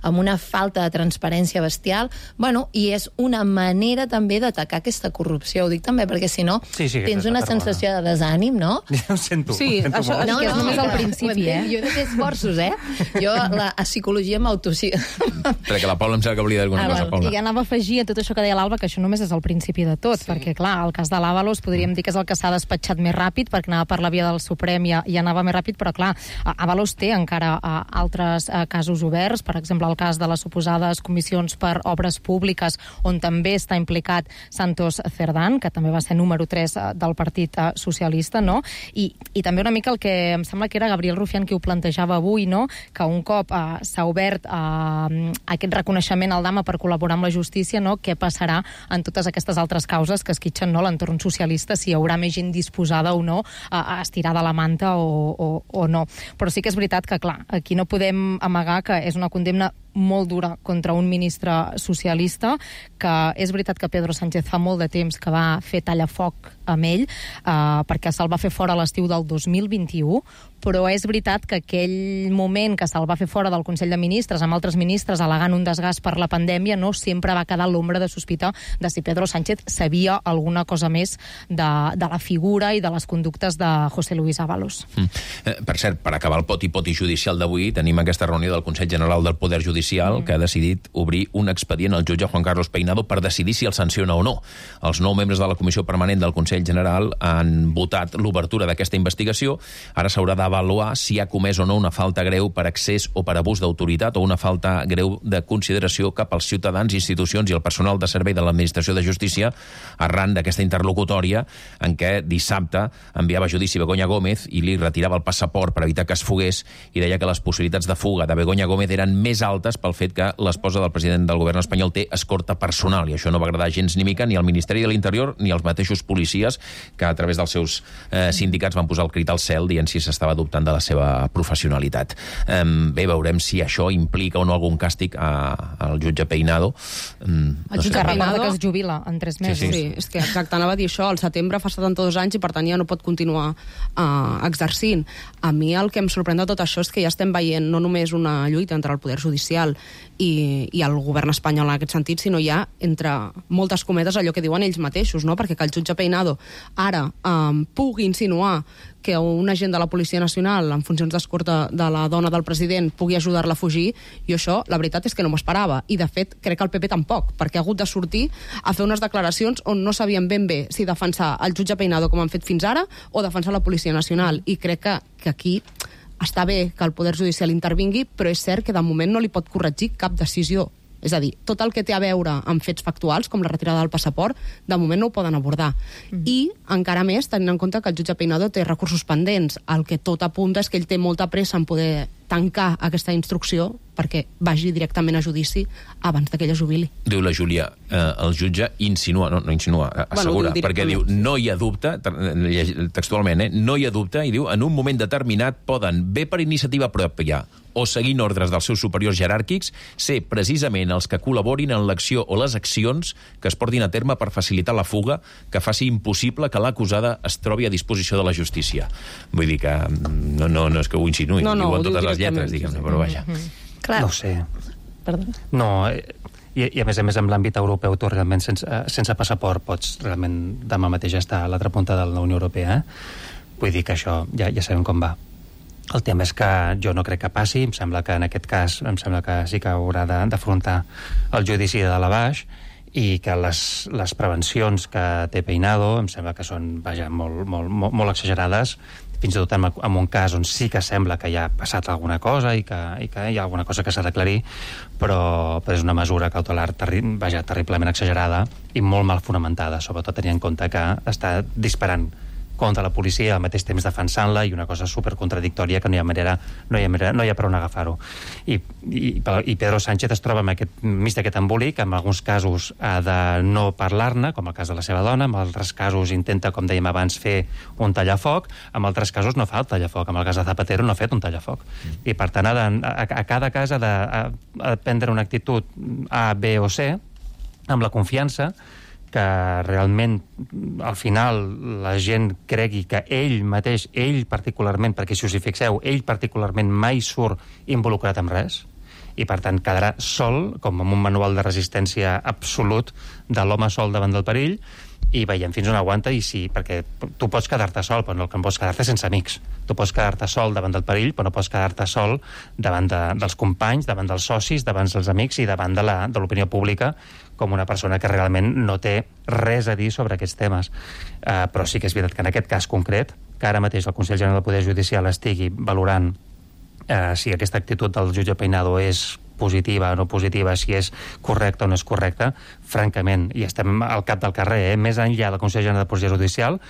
amb una falta de transparència bestial, bueno, i és una manera també d'atacar aquesta corrupció, ho dic també perquè si no tens una sensació de desànim, no? Ja ho sento. Sí, això és només al principi, Jo he de fer esforços, Jo a psicologia Perquè la Paula em sembla que volia dir alguna cosa, Paula. I anava a afegir a tot això que deia l'Alba, que això només és el principi de tot, perquè clar, el cas de l'Ábalos podríem dir que és el que s'ha despatxat més ràpid, perquè anava per la via del Suprem i anava més ràpid, però clar, Ábalos té encara altres casos oberts, per exemple el cas de les suposades comissions per obres públiques, on també està implicat Santos Cerdán, que també va ser número 3 del Partit Socialista, no? I també una mica el que em sembla que era Gabriel Rufián qui ho plantejava avui, no? Que un cop s'ha obert aquest reconeixement al Dama per col·laborar amb la justícia, no? Què passarà en totes aquestes altres causes que esquitxen, no, l'entorn socialista, si hi haurà més gent disposada o no a estirar de la manta o no. Però sí que és veritat que, clar, aquí no podem amagar que és una condemna molt dura contra un ministre socialista, que és veritat que Pedro Sánchez fa molt de temps que va fer tallafoc amb ell, perquè se'l va fer fora a l'estiu del 2021, però és veritat que aquell moment que se'l va fer fora del Consell de Ministres, amb altres ministres al·legant un desgast per la pandèmia, no sempre va quedar l'ombra de sospita de si Pedro Sánchez sabia alguna cosa més de la figura i de les conductes de José Luis Ábalos. Per cert, per acabar el poti-poti judicial d'avui, tenim aquesta reunió del Consell General del Poder Judicial que ha decidit obrir un expedient al jutge Juan Carlos Peinado per decidir si el sanciona o no. Els 9 membres de la Comissió Permanent del Consell General han votat l'obertura d'aquesta investigació. Ara s'haurà d'avaluar si ha comès o no una falta greu per excés o per abús d'autoritat o una falta greu de consideració cap als ciutadans, institucions i el personal de servei de l'Administració de Justícia arran d'aquesta interlocutòria en què dissabte enviava a judici Begoña Gómez i li retirava el passaport per evitar que es fugués i deia que les possibilitats de fuga de Begoña Gómez eren més altes pel fet que l'esposa del president del govern espanyol té escorta personal, i això no va agradar gens ni mica ni al Ministeri de l'Interior ni als mateixos policies que a través dels seus sindicats van posar el crit al cel dient si s'estava dubtant de la seva professionalitat. Bé, veurem si això implica o no algun càstig al jutge Peinado. El jutge Peinado que es jubila en 3 mesos. Sí, és que exacte, anava a dir això, al setembre fa 72 anys i per tant ja no pot continuar exercint. A mi el que em sorprèn de tot això és que ja estem veient no només una lluita entre el poder judicial i el govern espanyol en aquest sentit, sinó ja entre moltes cometes allò que diuen ells mateixos, no? Perquè que el jutge Peinado ara pugui insinuar que un agent de la Policia Nacional en funcions d'escorta de la dona del president pugui ajudar-la a fugir, jo això, la veritat és que no m'ho esperava. I, de fet, crec que el PP tampoc, perquè ha hagut de sortir a fer unes declaracions on no sabien ben bé si defensar el jutge Peinado com han fet fins ara o defensar la Policia Nacional. I crec que aquí està bé que el Poder Judicial intervingui, però és cert que de moment no li pot corregir cap decisió. És a dir, tot el que té a veure amb fets factuals, com la retirada del passaport, de moment no ho poden abordar. I, encara més, tenint en compte que el jutge Peinado té recursos pendents. El que tot apunta és que ell té molta pressa en poder tancar aquesta instrucció perquè vagi directament a judici abans que ella jubili. Diu la Júlia, el jutge insinua, no insinua, assegura, perquè diu, no hi ha dubte, textualment, no hi ha dubte, i diu, en un moment determinat poden, bé per iniciativa pròpia o seguint ordres dels seus superiors jeràrquics, ser precisament els que col·laborin en l'acció o les accions que es portin a terme per facilitar la fuga que faci impossible que l'acusada es trobi a disposició de la justícia. Vull dir que no és que ho insinuï, ho diuen totes les lletres, diguem-ne, però vaja. Clar. No ho sé. Perdó. No, i a més en l'àmbit europeu tu realment sense passaport pots realment demà mateix estar a l'altra punta de la Unió Europea. Vull dir que això ja sabem com va. El tema és que jo no crec que passi, em sembla que en aquest cas sí que haurà d'afrontar el judici de dalt a baix i que les prevencions que té Peinado em sembla que són, vaja, molt exagerades, fins i tot en un cas on sí que sembla que ja ha passat alguna cosa i que hi ha alguna cosa que s'ha d'aclarir, però és una mesura cautelar terriblement exagerada i molt mal fonamentada, sobretot tenint en compte que està disparant contra la policia, al mateix temps defensant-la, i una cosa supercontradictòria que no hi ha per on agafar-ho. I Pedro Sánchez es troba mig d'aquest embolic, en alguns casos ha de no parlar-ne, com el cas de la seva dona, en altres casos intenta, com dèiem abans, fer un tallafoc, en altres casos no fa el tallafoc, en el cas de Zapatero no ha fet un tallafoc. I per tant, a cada cas ha de prendre una actitud A, B o C, amb la confiança que realment al final la gent cregui que ell mateix, ell particularment, perquè si us hi fixeu, ell particularment mai surt involucrat en res, i per tant quedarà sol, com amb un manual de resistència absolut de l'home sol davant del perill, i veiem fins on aguanta, i sí, perquè tu pots quedar-te sol, però no pots quedar-te sense amics. Tu pots quedar-te sol davant del perill, però no pots quedar-te sol davant dels companys, davant dels socis, davant dels amics i davant de l'opinió pública, com una persona que realment no té res a dir sobre aquests temes. Però sí que és veritat que en aquest cas concret, que ara mateix el Consell General del Poder Judicial estigui valorant si aquesta actitud del jutge Peinado és positiva o no positiva, si és correcta o no és correcta, francament, i estem al cap del carrer, més enllà del Consell General del Poder Judicial,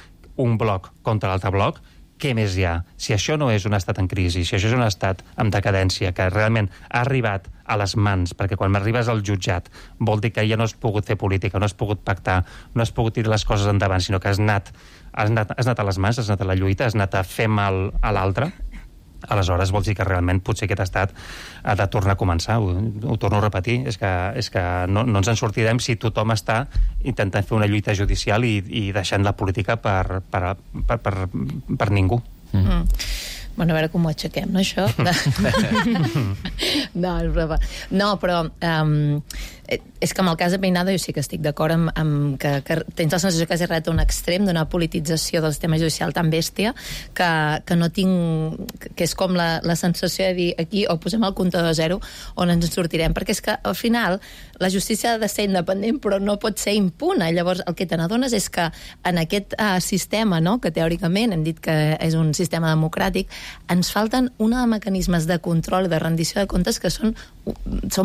un bloc contra l'altre bloc, què més hi ha? Si això no és un estat en crisi, si això és un estat en decadència, que realment ha arribat a les mans, perquè quan arribes al jutjat vol dir que ja no has pogut fer política, no has pogut pactar, no has pogut tirar les coses endavant, sinó que has anat a les mans, has anat a la lluita, has anat a fer mal a l'altre, aleshores vol dir que realment potser aquest estat ha de tornar a començar. Ho torno a repetir, és que no ens en sortirem si tothom està intentant fer una lluita judicial i deixant la política per ningú. Bueno, a veure com ho aixequem, no, això? No, però és que amb el cas de Peinado jo sí que estic d'acord amb que tens la sensació que has arribat a un extrem d'una politització del sistema judicial tan bèstia que no tinc... que és com la sensació de dir aquí o posem el comptador a zero on ens en sortirem, perquè és que al final la justícia ha de ser independent però no pot ser impune. Llavors el que te n'adones és que en aquest sistema, no?, que teòricament hem dit que és un sistema democràtic, ens falten una de mecanismes de control i de rendició de comptes que són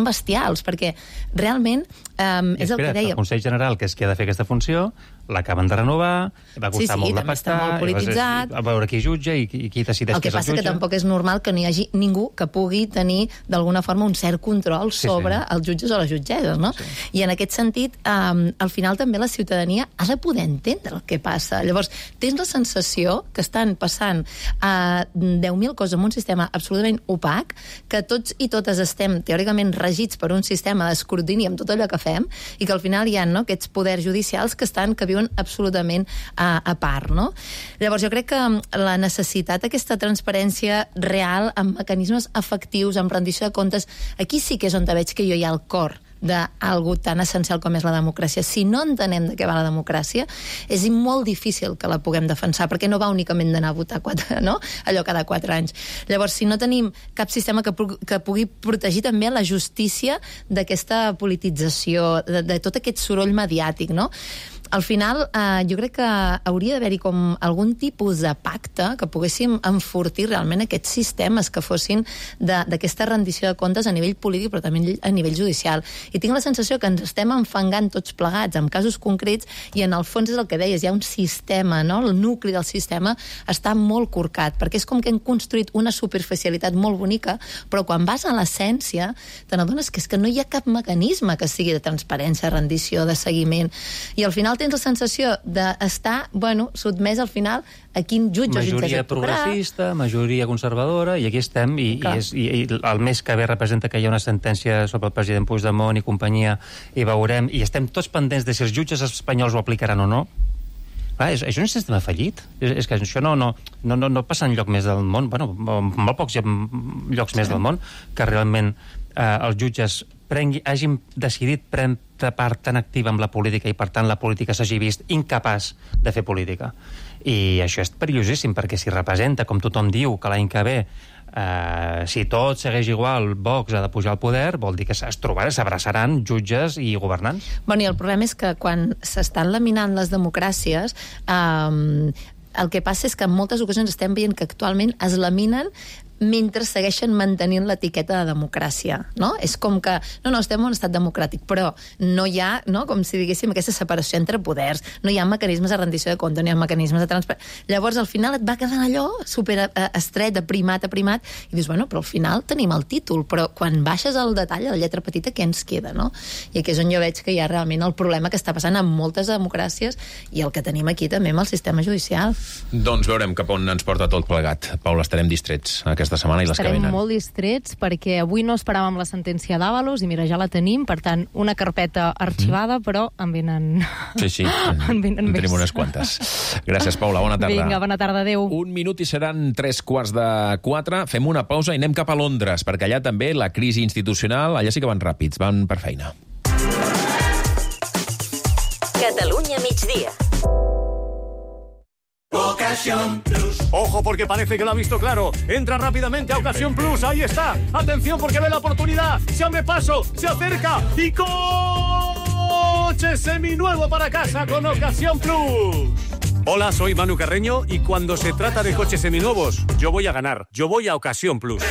bestials, perquè realment és el que deia... El Consell General, que és qui ha de fer aquesta funció, l'acaben de renovar, va costar molt de pactar, molt polititzat, a veure qui jutja i qui decideix el que passa que tampoc és normal que no hi hagi ningú que pugui tenir d'alguna forma un cert control sobre els jutges o les jutgesses, no? Sí. I en aquest sentit, al final també la ciutadania ha de poder entendre el que passa. Llavors, tens la sensació que estan passant 10.000 coses en un sistema absolutament opac, que tots i totes estem teòricament regits per un sistema d'escrutini amb tot allò que fem, i que al final hi ha, no?, aquests poders judicials que viuen absolutament a part, no? Llavors jo crec que la necessitat d'aquesta transparència real amb mecanismes efectius, amb rendició de comptes, aquí sí que és on veig que jo hi ha el cor d'algú tan essencial com és la democràcia. Si no entenem de què va la democràcia, és molt difícil que la puguem defensar, perquè no va únicament d'anar a votar allò cada 4 anys. Llavors, si no tenim cap sistema que pugui protegir també la justícia d'aquesta politització, de tot aquest soroll mediàtic, no? Al final, jo crec que hauria d'haver-hi com algun tipus de pacte que poguéssim enfortir realment aquests sistemes que fossin d'aquesta rendició de comptes a nivell polític però també a nivell judicial. I tinc la sensació que ens estem enfangant tots plegats amb casos concrets i en el fons és el que deies, hi ha un sistema, no? El nucli del sistema està molt corcat, perquè és com que hem construït una superficialitat molt bonica, però quan vas a l'essència te n'adones que és que no hi ha cap mecanisme que sigui de transparència, rendició, de seguiment, i al final tens la sensació d'estar, sotmès al final a quin jutge o jutge majoria progressista, majoria conservadora, i aquí estem, i el mes que ve representa que hi ha una sentència sobre el president Puigdemont i companyia, i veurem, i estem tots pendents de si els jutges espanyols ho aplicaran o no. Clar, és un sistema fallit. És que això no passa enlloc més del món, molt pocs llocs més del món, que realment els jutges hagin decidit prendre part tan activa amb la política i per tant la política s'hagi vist incapaç de fer política. I això és perillosíssim, perquè si representa, com tothom diu, que l'any que ve si tot segueix igual, Vox ha de pujar al poder, vol dir que s'abraçaran jutges i governants. I el problema és que quan s'estan laminant les democràcies, el que passa és que en moltes ocasions estem veient que actualment es laminen mentre segueixen mantenint l'etiqueta de democràcia, no? És com que, no, estem en un estat democràtic, però no hi ha, no, com si diguéssim, aquesta separació entre poders, no hi ha mecanismes de rendició de compte, no hi ha mecanismes de transparència. Llavors, al final et va quedant allò super estret, aprimat, i dius, bueno, però al final tenim el títol, però quan baixes al detall, a la lletra petita, què ens queda, no? I aquí és on jo veig que hi ha realment el problema que està passant en moltes democràcies i el que tenim aquí també amb el sistema judicial. Doncs veurem cap on ens porta tot plegat. Paula, estarem distrets aquesta setmana i les que venen. Estarem molt distrets perquè avui no esperàvem la sentència d'Ábalos i mira, ja la tenim, per tant, una carpeta arxivada, però en venen... Sí, en tenim unes quantes. Gràcies, Paula, bona tarda. Vinga, bona tarda, adéu. 1 minut i seran 3:45. Fem una pausa i anem cap a Londres, perquè allà també la crisi institucional, allà sí que van ràpids, van per feina. Catalunya migdia. Ocasión Plus. Ojo, porque parece que lo ha visto claro. Entra rápidamente a Ocasión Plus. Ahí está. Atención, porque ve la oportunidad. Se abre paso, se acerca y coche seminuevo para casa con Ocasión Plus. Hola, soy Manu Carreño y cuando se trata de coches seminuevos, yo voy a ganar. Yo voy a Ocasión Plus.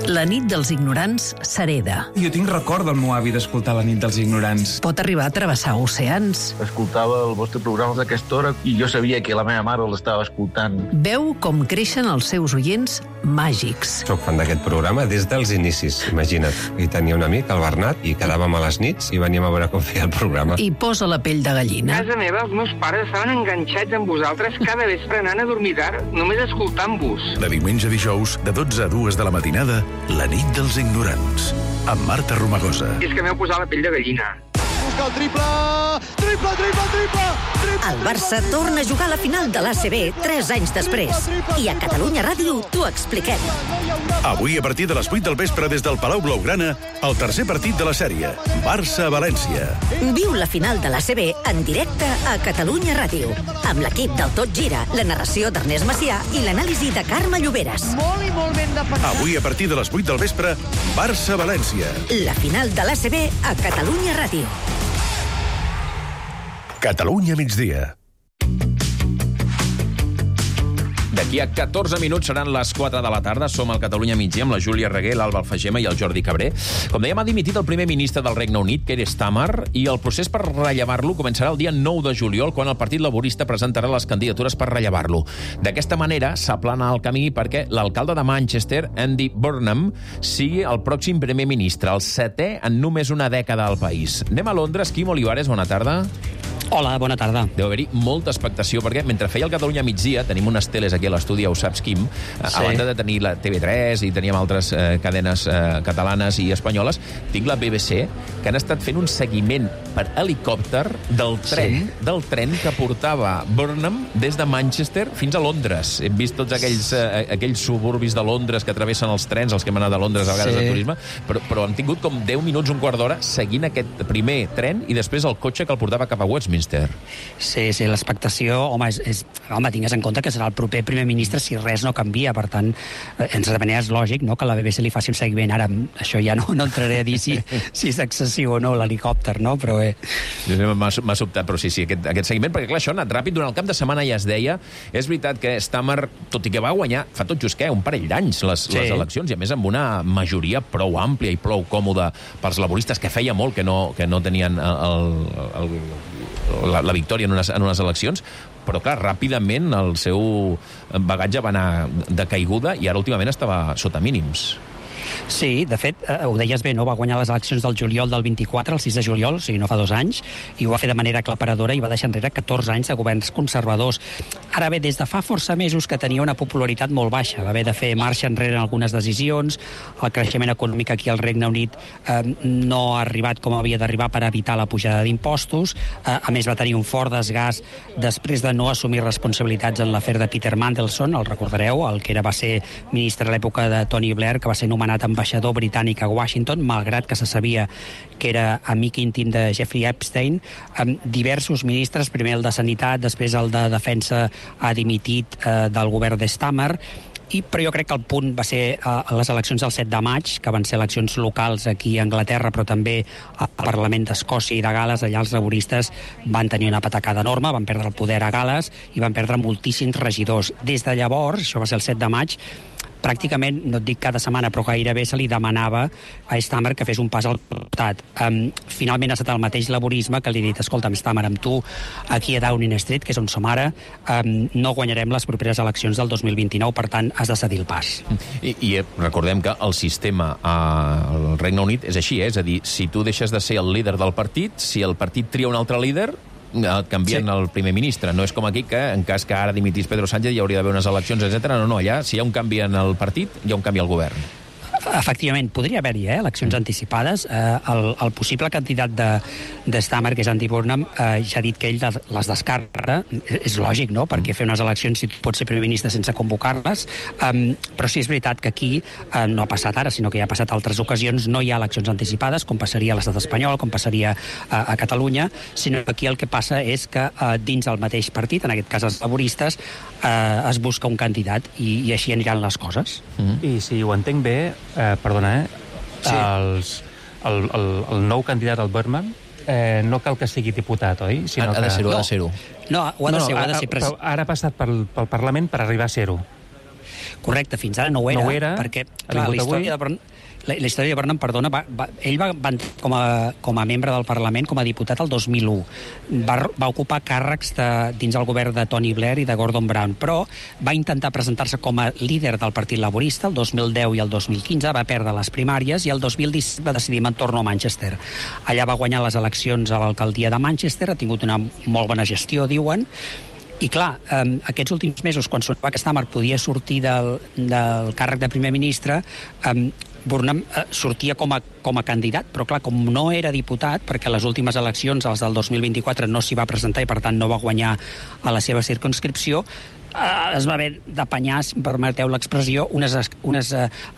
La nit dels ignorants s'hereda. Jo tinc record del meu avi d'escoltar La nit dels ignorants. Pot arribar a travessar oceans. Escoltava el vostre programa d'aquesta hora i jo sabia que la meva mare l'estava escoltant. Veu com creixen els seus oients màgics. Soc fan d'aquest programa des dels inicis, imagina't. I tenia un amic, el Bernat, i quedàvem a les nits i veníem a veure com feia el programa. I posa la pell de gallina. A casa meva els meus pares estaven enganxats amb vosaltres cada vespre anant a dormir tard, només escoltant-vos. De diumenge a dijous, de 12 a 2 de la matinada, La nit dels ignorants, amb Marta Romagosa. I és que m'heu posat la pell de gallina. Busca el triple! Triple! El Barça torna a jugar a la final de l'ACB 3 anys després. I a Catalunya Ràdio t'ho expliquem. Avui, a partir de les 8 del vespre, des del Palau Blaugrana, el tercer partit de la sèrie, Barça-València. Viu la final de l'ACB en directe a Catalunya Ràdio, amb l'equip del Tot Gira, la narració d'Ernest Macià i l'anàlisi de Carme Lloberes. Molt i molt ben defensat. Avui, a partir de les 8 del vespre, Barça-València. La final de l'ACB a Catalunya Ràdio. Catalunya migdia. D'aquí a 14 minuts seran les 4 de la tarda. Som al Catalunya migdia amb la Júlia Reguer, l'Alba Alfagema i el Jordi Cabré. Com dèiem, ha dimitit el primer ministre del Regne Unit, Keir Starmer, i el procés per rellevar-lo començarà el dia 9 de juliol, quan el Partit Laborista presentarà les candidatures per rellevar-lo. D'aquesta manera s'aplana el camí perquè l'alcalde de Manchester, Andy Burnham, sigui el pròxim primer ministre, el 7è en només una dècada al país. Anem a Londres. Quim Olivares, bona tarda. Hola, bona tarda. Deu haver-hi molta expectació, perquè mentre feia el Catalunya migdia, tenim unes teles aquí a l'estudi, ja ho saps, Quim, a banda de tenir la TV3 i teníem altres cadenes catalanes i espanyoles, tinc la BBC, que han estat fent un seguiment per helicòpter del tren que portava Burnham des de Manchester fins a Londres. Hem vist tots aquells suburbis de Londres que travessen els trens, els que hem anat a Londres a vegades de turisme, però han tingut com 10 minuts, un quart d'hora, seguint aquest primer tren i després el cotxe que el portava cap a Westminster. Sí, l'expectació, home, tingues en compte que serà el proper primer ministre si res no canvia, per tant, en certa manera és lògic, no?, que la BBC li faci un seguiment. Ara, això ja no entraré a dir si és excessiu o no, l'helicòpter, no?, però bé. M'ha sobtat, però sí, aquest seguiment, perquè clar, això ha anat ràpid, durant el cap de setmana ja es deia. És veritat que Starmer, tot i que va guanyar fa tot just un parell d'anys les eleccions, i a més amb una majoria prou àmplia i prou còmoda pels laboristes, que feia molt que no tenien la victòria en unes eleccions, però clar, ràpidament el seu bagatge va anar de caiguda i ara últimament estava sota mínims. Sí, de fet, ho deies bé, no? Va guanyar les eleccions del juliol del 24, el 6 de juliol, o sigui, no fa 2 anys, i ho va fer de manera aclaparadora i va deixar enrere 14 anys de governs conservadors. Ara bé, des de fa força mesos que tenia una popularitat molt baixa, va haver de fer marxa enrere en algunes decisions, el creixement econòmic aquí al Regne Unit no ha arribat com havia d'arribar per evitar la pujada d'impostos, a més va tenir un fort desgast després de no assumir responsabilitats en l'afer de Peter Mandelson, el recordareu, el que va ser ministre a l'època de Tony Blair, que va ser nomenat ambaixador britànic a Washington, malgrat que se sabia que era amic íntim de Jeffrey Epstein. Diversos ministres, primer el de Sanitat, després el de Defensa, ha dimitit del govern de Starmer, però jo crec que el punt va ser a les eleccions del 7 de maig, que van ser eleccions locals aquí a Anglaterra, però també al Parlament d'Escòcia i de Gales. Allà els laboristes van tenir una patacada enorme, van perdre el poder a Gales i van perdre moltíssims regidors. Des de llavors, això va ser el 7 de maig, pràcticament, no et dic cada setmana, però gairebé se li demanava a Stamer que fes un pas al costat. Finalment ha estat el mateix laborisme que li ha dit, escolta'm, Stamer, amb tu aquí a Downing Street, que és on som ara, no guanyarem les properes eleccions del 2029, per tant, has de cedir el pas. I recordem que el sistema al Regne Unit és així, és a dir, si tu deixes de ser el líder del partit, si el partit tria un altre líder, canvien el primer ministre. No és com aquí que, en cas que ara dimitís Pedro Sánchez, hi hauria d'haver unes eleccions, etc. No, allà, si hi ha un canvi en el partit, hi ha un canvi al govern. Efectivament, podria haver-hi eleccions anticipades. El possible candidat de Stamer, que és Andy Burnham, ja ha dit que ell les descarta. És lògic, no?, perquè fer unes eleccions si pots ser primer ministre sense convocar-les. Però sí és veritat que aquí no ha passat ara, sinó que ja ha passat altres ocasions. No hi ha eleccions anticipades, com passaria a l'estat espanyol, com passaria a Catalunya, sinó que aquí el que passa és que dins el mateix partit, en aquest cas els laboristes, es busca un candidat i així aniran les coses. I si ho entenc bé, perdona, el nou candidat al Burnham no cal que sigui diputat, oi? Ha de ser-ho. No, ho ha de ser. Però ara ha passat pel Parlament per arribar a ser-ho. Correcte, fins ara no ho era. Perquè, clar, la història de Burnham, perdona, ell va com a membre del Parlament, com a diputat el 2001. Va ocupar càrrecs dins el govern de Tony Blair i de Gordon Brown, però va intentar presentar-se com a líder del Partit Laborista el 2010 i el 2015, va perdre les primàries i el 2017 va decidir tornar a Manchester. Allà va guanyar les eleccions a l'alcaldia de Manchester, ha tingut una molt bona gestió, diuen, i clar, aquests últims mesos, quan sonava que Stamer podia sortir del càrrec de primer ministre, Burnham sortia com a candidat, però clar, com no era diputat, perquè les últimes eleccions, les del 2024, no s'hi va presentar i per tant no va guanyar a la seva circumscripció, es va haver d'apanyar, si em permeteu l'expressió, unes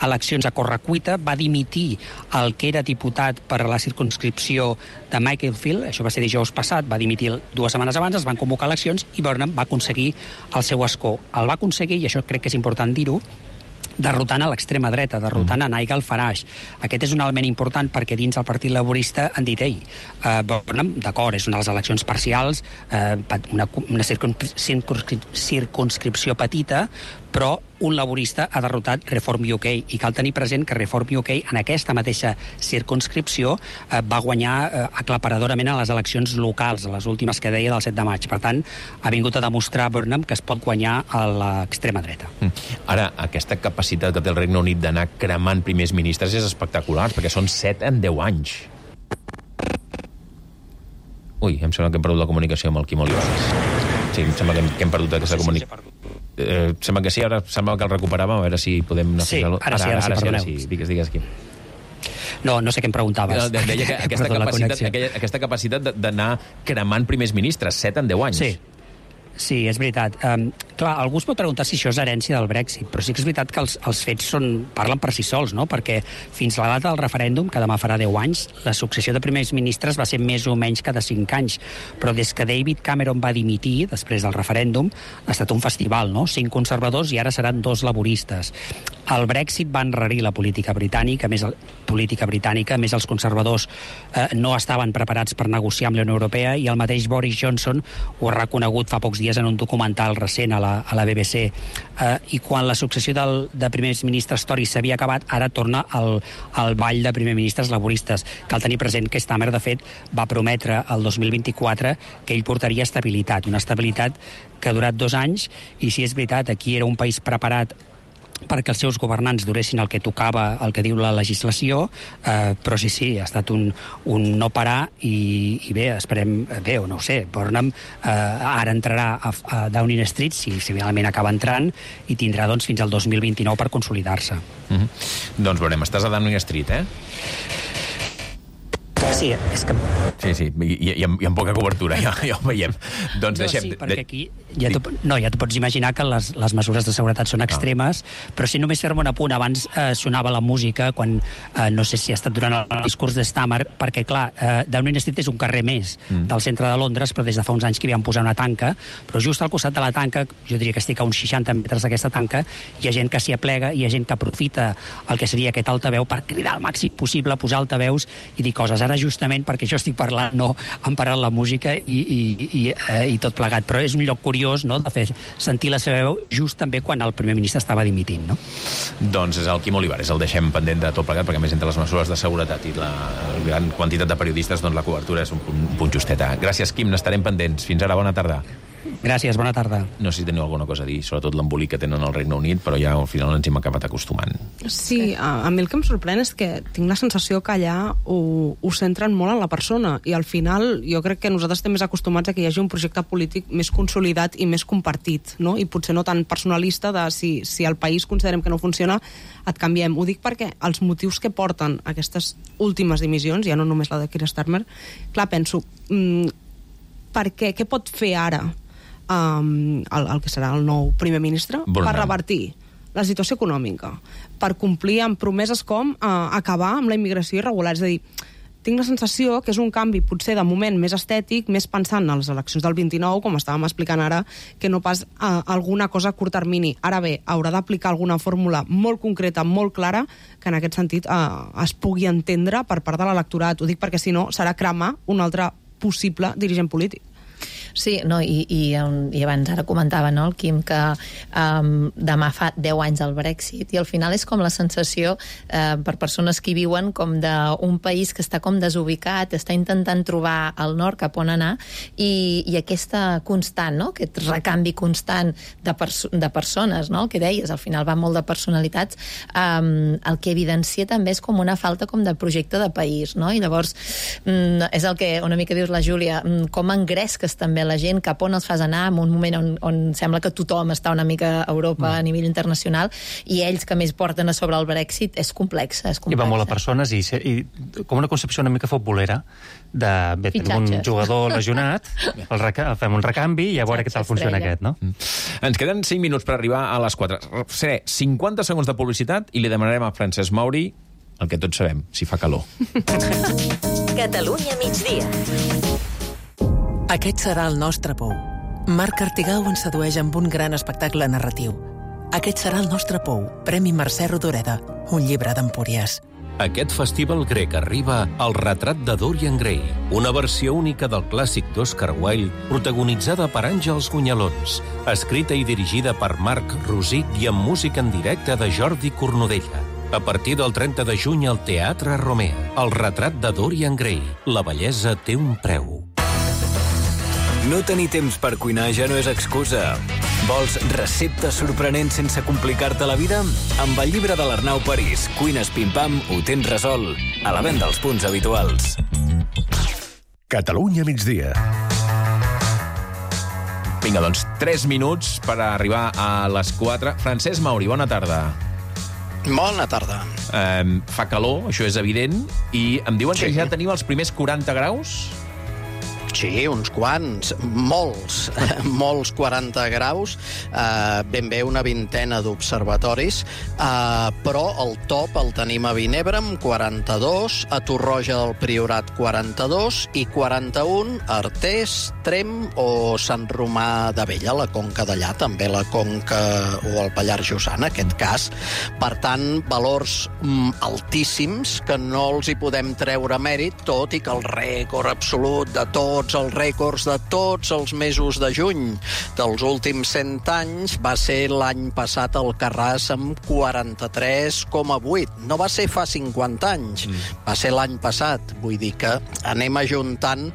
eleccions a correcuita, va dimitir el que era diputat per a la circumscripció de Macclesfield, això va ser dijous passat, va dimitir 2 setmanes abans, es van convocar eleccions i Burnham va aconseguir el seu escó. El va aconseguir, i això crec que és important dir-ho, derrotant a l'extrema dreta, derrotant a Nigel Farage. Aquest és un element important perquè dins el Partit Laborista han dit, d'acord, és una de les eleccions parcials, una circumscripció petita, però un laborista ha derrotat Reform UK, i cal tenir present que Reform UK en aquesta mateixa circumscripció va guanyar aclaparadorament a les eleccions locals, a les últimes que deia del 7 de maig. Per tant, ha vingut a demostrar Burnham que es pot guanyar a l'extrema dreta. Ara, aquesta capacitat que té el Regne Unit d'anar cremant primers ministres és espectacular, perquè són 7 en 10 anys. Ui, em sembla que hem perdut la comunicació amb el Quim Olivares. Sí, em sembla que hem perdut aquesta comunicació. Sembla que sí, ara sembla que el recuperàvem, a veure si podem... Sí, ara sí. Digues, Quim. No sé què em preguntaves. Deia que aquesta capacitat d'anar cremant primers ministres, 7 en 10 anys. Sí, és veritat. Clar, algú es pot preguntar si això és herència del Brexit, però sí que és veritat que els fets parlen per si sols, no? Perquè fins la data del referèndum, que demà farà 10 anys, la successió de primers ministres va ser més o menys cada 5 anys. Però des que David Cameron va dimitir, després del referèndum, ha estat un festival, no? 5 conservadors i ara seran 2 laboristes. El Brexit va enrarir la política britànica, més els conservadors no estaven preparats per negociar amb la Unió Europea, i el mateix Boris Johnson ho ha reconegut fa pocs dies en un documental recent a la BBC. I quan la successió de primers ministres Tories s'havia acabat, ara torna al ball de primers ministres laboristes. Cal tenir present que Stamer, de fet, va prometre el 2024 que ell portaria estabilitat, una estabilitat que ha durat 2 anys, i si és veritat, aquí era un país preparat perquè els seus governants duressin el que tocava, el que diu la legislació, però sí, ha estat un no parar, i bé, esperem, o no ho sé, Burnham ara entrarà a Downing Street, si finalment acaba entrant, i tindrà fins al 2029 per consolidar-se. Doncs veurem, estàs a Downing Street, eh? Sí, és que... Sí, i amb poca cobertura, ja ho veiem. Doncs deixem... Sí, perquè aquí ja t'ho pots imaginar que les mesures de seguretat són extremes, però si només fer-me un apunt, abans sonava la música, quan no sé si ha estat durant el discurs de Stamer, perquè, clar, Downing Street és un carrer més del centre de Londres, però des de fa uns anys que hi van posar una tanca, però just al costat de la tanca, jo diria que estic a uns 60 metres d'aquesta tanca, hi ha gent que s'hi aplega, hi ha gent que aprofita el que seria aquest altaveu per cridar al màxim possible, posar altaveus i dir coses. Ara justament perquè jo estic parlant, no han parat la música i tot plegat. Però és un lloc curiós, no?, de fer sentir la seva veu just també quan el primer ministre estava dimitint, no? Doncs és el Quim Olivares, el deixem pendent de tot plegat, perquè a més entre les mesures de seguretat i la gran quantitat de periodistes, doncs la cobertura és un punt justeta. Gràcies, Quim, n'estarem pendents. Fins ara, bona tarda. Gràcies, bona tarda. No sé si teniu alguna cosa a dir, sobretot l'embolic que tenen al Regne Unit, però ja al final ens hem acabat acostumant. Sí, a mi el que em sorprèn és que tinc la sensació que allà ho centren molt en la persona, i al final jo crec que nosaltres estem més acostumats a que hi hagi un projecte polític més consolidat i més compartit, no? I potser no tan personalista de si el país considerem que no funciona, et canviem. Ho dic perquè els motius que porten aquestes últimes dimissions, ja no només la de Keir Starmer, clar, penso, què pot fer ara el que serà el nou primer ministre per revertir la situació econòmica, per complir amb promeses com acabar amb la immigració irregular? És a dir, tinc la sensació que és un canvi potser de moment més estètic, més pensant en les eleccions del 29, com estàvem explicant ara, que no pas alguna cosa a curt termini. Ara bé, haurà d'aplicar alguna fórmula molt concreta, molt clara, que en aquest sentit es pugui entendre per part de l'electorat. Ho dic perquè si no serà cremar un altre possible dirigent polític. Sí, no, i abans ara comentava, no, el Quim, que demà fa 10 anys del Brexit, i al final és com la sensació per persones que hi viuen com d'un país que està com desubicat, està intentant trobar el nord cap on anar, i aquesta constant, no?, aquest recanvi constant de persones, no?, el que deies, al final va molt de personalitats, el que evidencia també és com una falta com de projecte de país, no?, i llavors és el que una mica dius la Júlia, com engresques també la gent, cap on els fas anar en un moment on sembla que tothom està una mica a Europa a nivell internacional, i ells que més porten a sobre el Brexit és complexa. I va molt a persones i com una concepció una mica futbolera de tenim un jugador lesionat, fem un recanvi i a veure què tal funciona aquest, no? Ens queden 5 minuts per arribar a les 4. Seré 50 segons de publicitat i li demanarem a Francesc Mauri el que tots sabem, si fa calor. Catalunya migdia. Aquest serà el nostre pou. Marc Artigau ens sedueix amb un gran espectacle narratiu. Aquest serà el nostre pou, Premi Mercè Rodoreda, un llibre d'Empúries. Aquest festival grec arriba al retrat de Dorian Gray, una versió única del clàssic d'Oscar Wilde, protagonitzada per Àngels Gunyalons, escrita i dirigida per Marc Rosic i amb música en directe de Jordi Cornudella. A partir del 30 de juny al Teatre Romea, el retrat de Dorian Gray. La bellesa té un preu. No tenir temps per cuinar ja no és excusa. Vols receptes sorprenents sense complicar-te la vida? Amb el llibre de l'Arnau París, Cuines Pim-Pam, ho tens resolt. A la venda als punts habituals. Catalunya migdia. Vinga, doncs 3 minuts per arribar a les 4. Francesc Mauri, bona tarda. Bona tarda. Fa calor, això és evident, i em diuen que ja teniu els primers 40 graus? Sí, uns quants, molts 40 graus, ben bé una vintena d'observatoris, però el top el tenim a Vinebre amb 42, a Torroja del Priorat 42 i 41 a Artés, Tremp o Sant Romà d'Abella, la Conca d'allà, també la Conca o el Pallars Jussà, en aquest cas. Per tant, valors altíssims que no els hi podem treure mèrit, tot i que el rècord absolut de tots els rècords de tots els mesos de juny dels últims 100 anys va ser l'any passat al Carràs amb 43,8. No va ser fa 50 anys, va ser l'any passat. Vull dir que anem ajuntant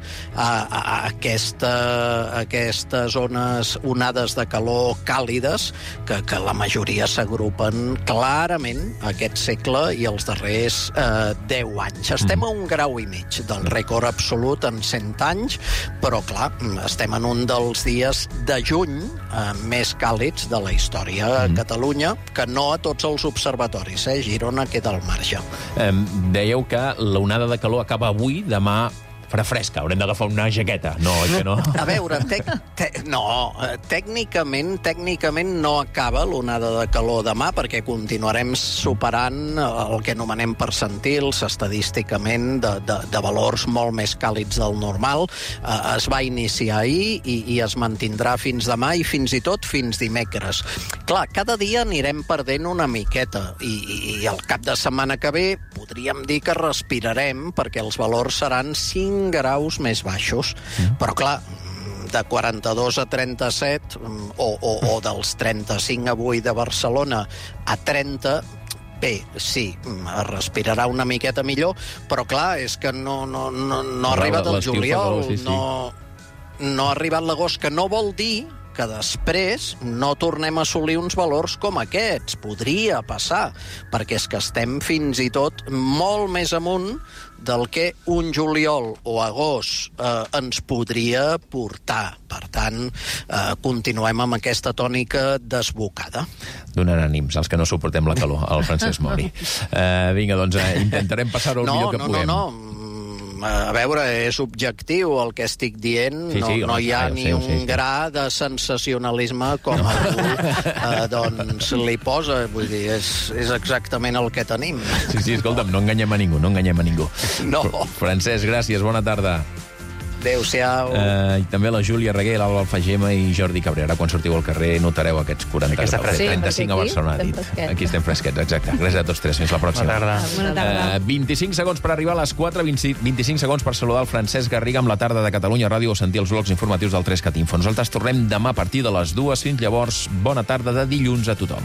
aquestes onades de calor càlides que la majoria s'agrupen clarament aquest segle i els darrers 10 anys. Estem a 1,5 graus del rècord absolut en 100 anys, però clar, estem en un dels dies de juny més càlids de la història a Catalunya, que no a tots els observatoris, Girona queda al marge. Dèieu que l'onada de calor acaba avui, demà farà fresca, haurem d'agafar una jaqueta. No, que no? A veure, tècnicament no acaba l'onada de calor demà, perquè continuarem superant el que anomenem percentils, estadísticament, de valors molt més càlids del normal. Es va iniciar ahir i es mantindrà fins demà i fins i tot fins dimecres. Clar, cada dia anirem perdent una miqueta i al cap de setmana que ve podríem dir que respirarem, perquè els valors seran 5 graus més baixos. Però clar, de 42 a 37 o dels 35 avui de Barcelona a 30, bé, sí, es respirarà una miqueta millor, però clar, és que no ha arribat el juliol, no ha arribat l'agost, que no vol dir que després no tornem a assolir uns valors com aquests. Podria passar, perquè és que estem fins i tot molt més amunt del que un juliol o agost ens podria portar. Per tant, continuem amb aquesta tònica desbocada. Donant ànims als que no suportem la calor, al Francesc Mori. Vinga, doncs intentarem passar-ho el millor que puguem. No. A veure, és objectiu el que estic dient. No hi ha ni un gra de sensacionalisme com algú li posa. Vull dir, és exactament el que tenim. Sí, escolta'm, no enganyem a ningú. No. Francesc, gràcies, bona tarda. Adéu-siau. I també la Júlia Reguer, l'Alba Alfagema i Jordi Cabrera. Quan sortiu al carrer notareu aquests 40 graus. 35 a Barcelona, ha dit. Aquí estem fresquets, exacte. Gràcies a tots tres. Fins la pròxima. Bona tarda. 25 segons per arribar a les 4, 25 segons per saludar el Francesc Garriga amb la tarda de Catalunya Ràdio o sentir els blocs informatius del 3CAT Info. Nosaltres tornem demà a partir de les 2. Fins llavors, bona tarda de dilluns a tothom.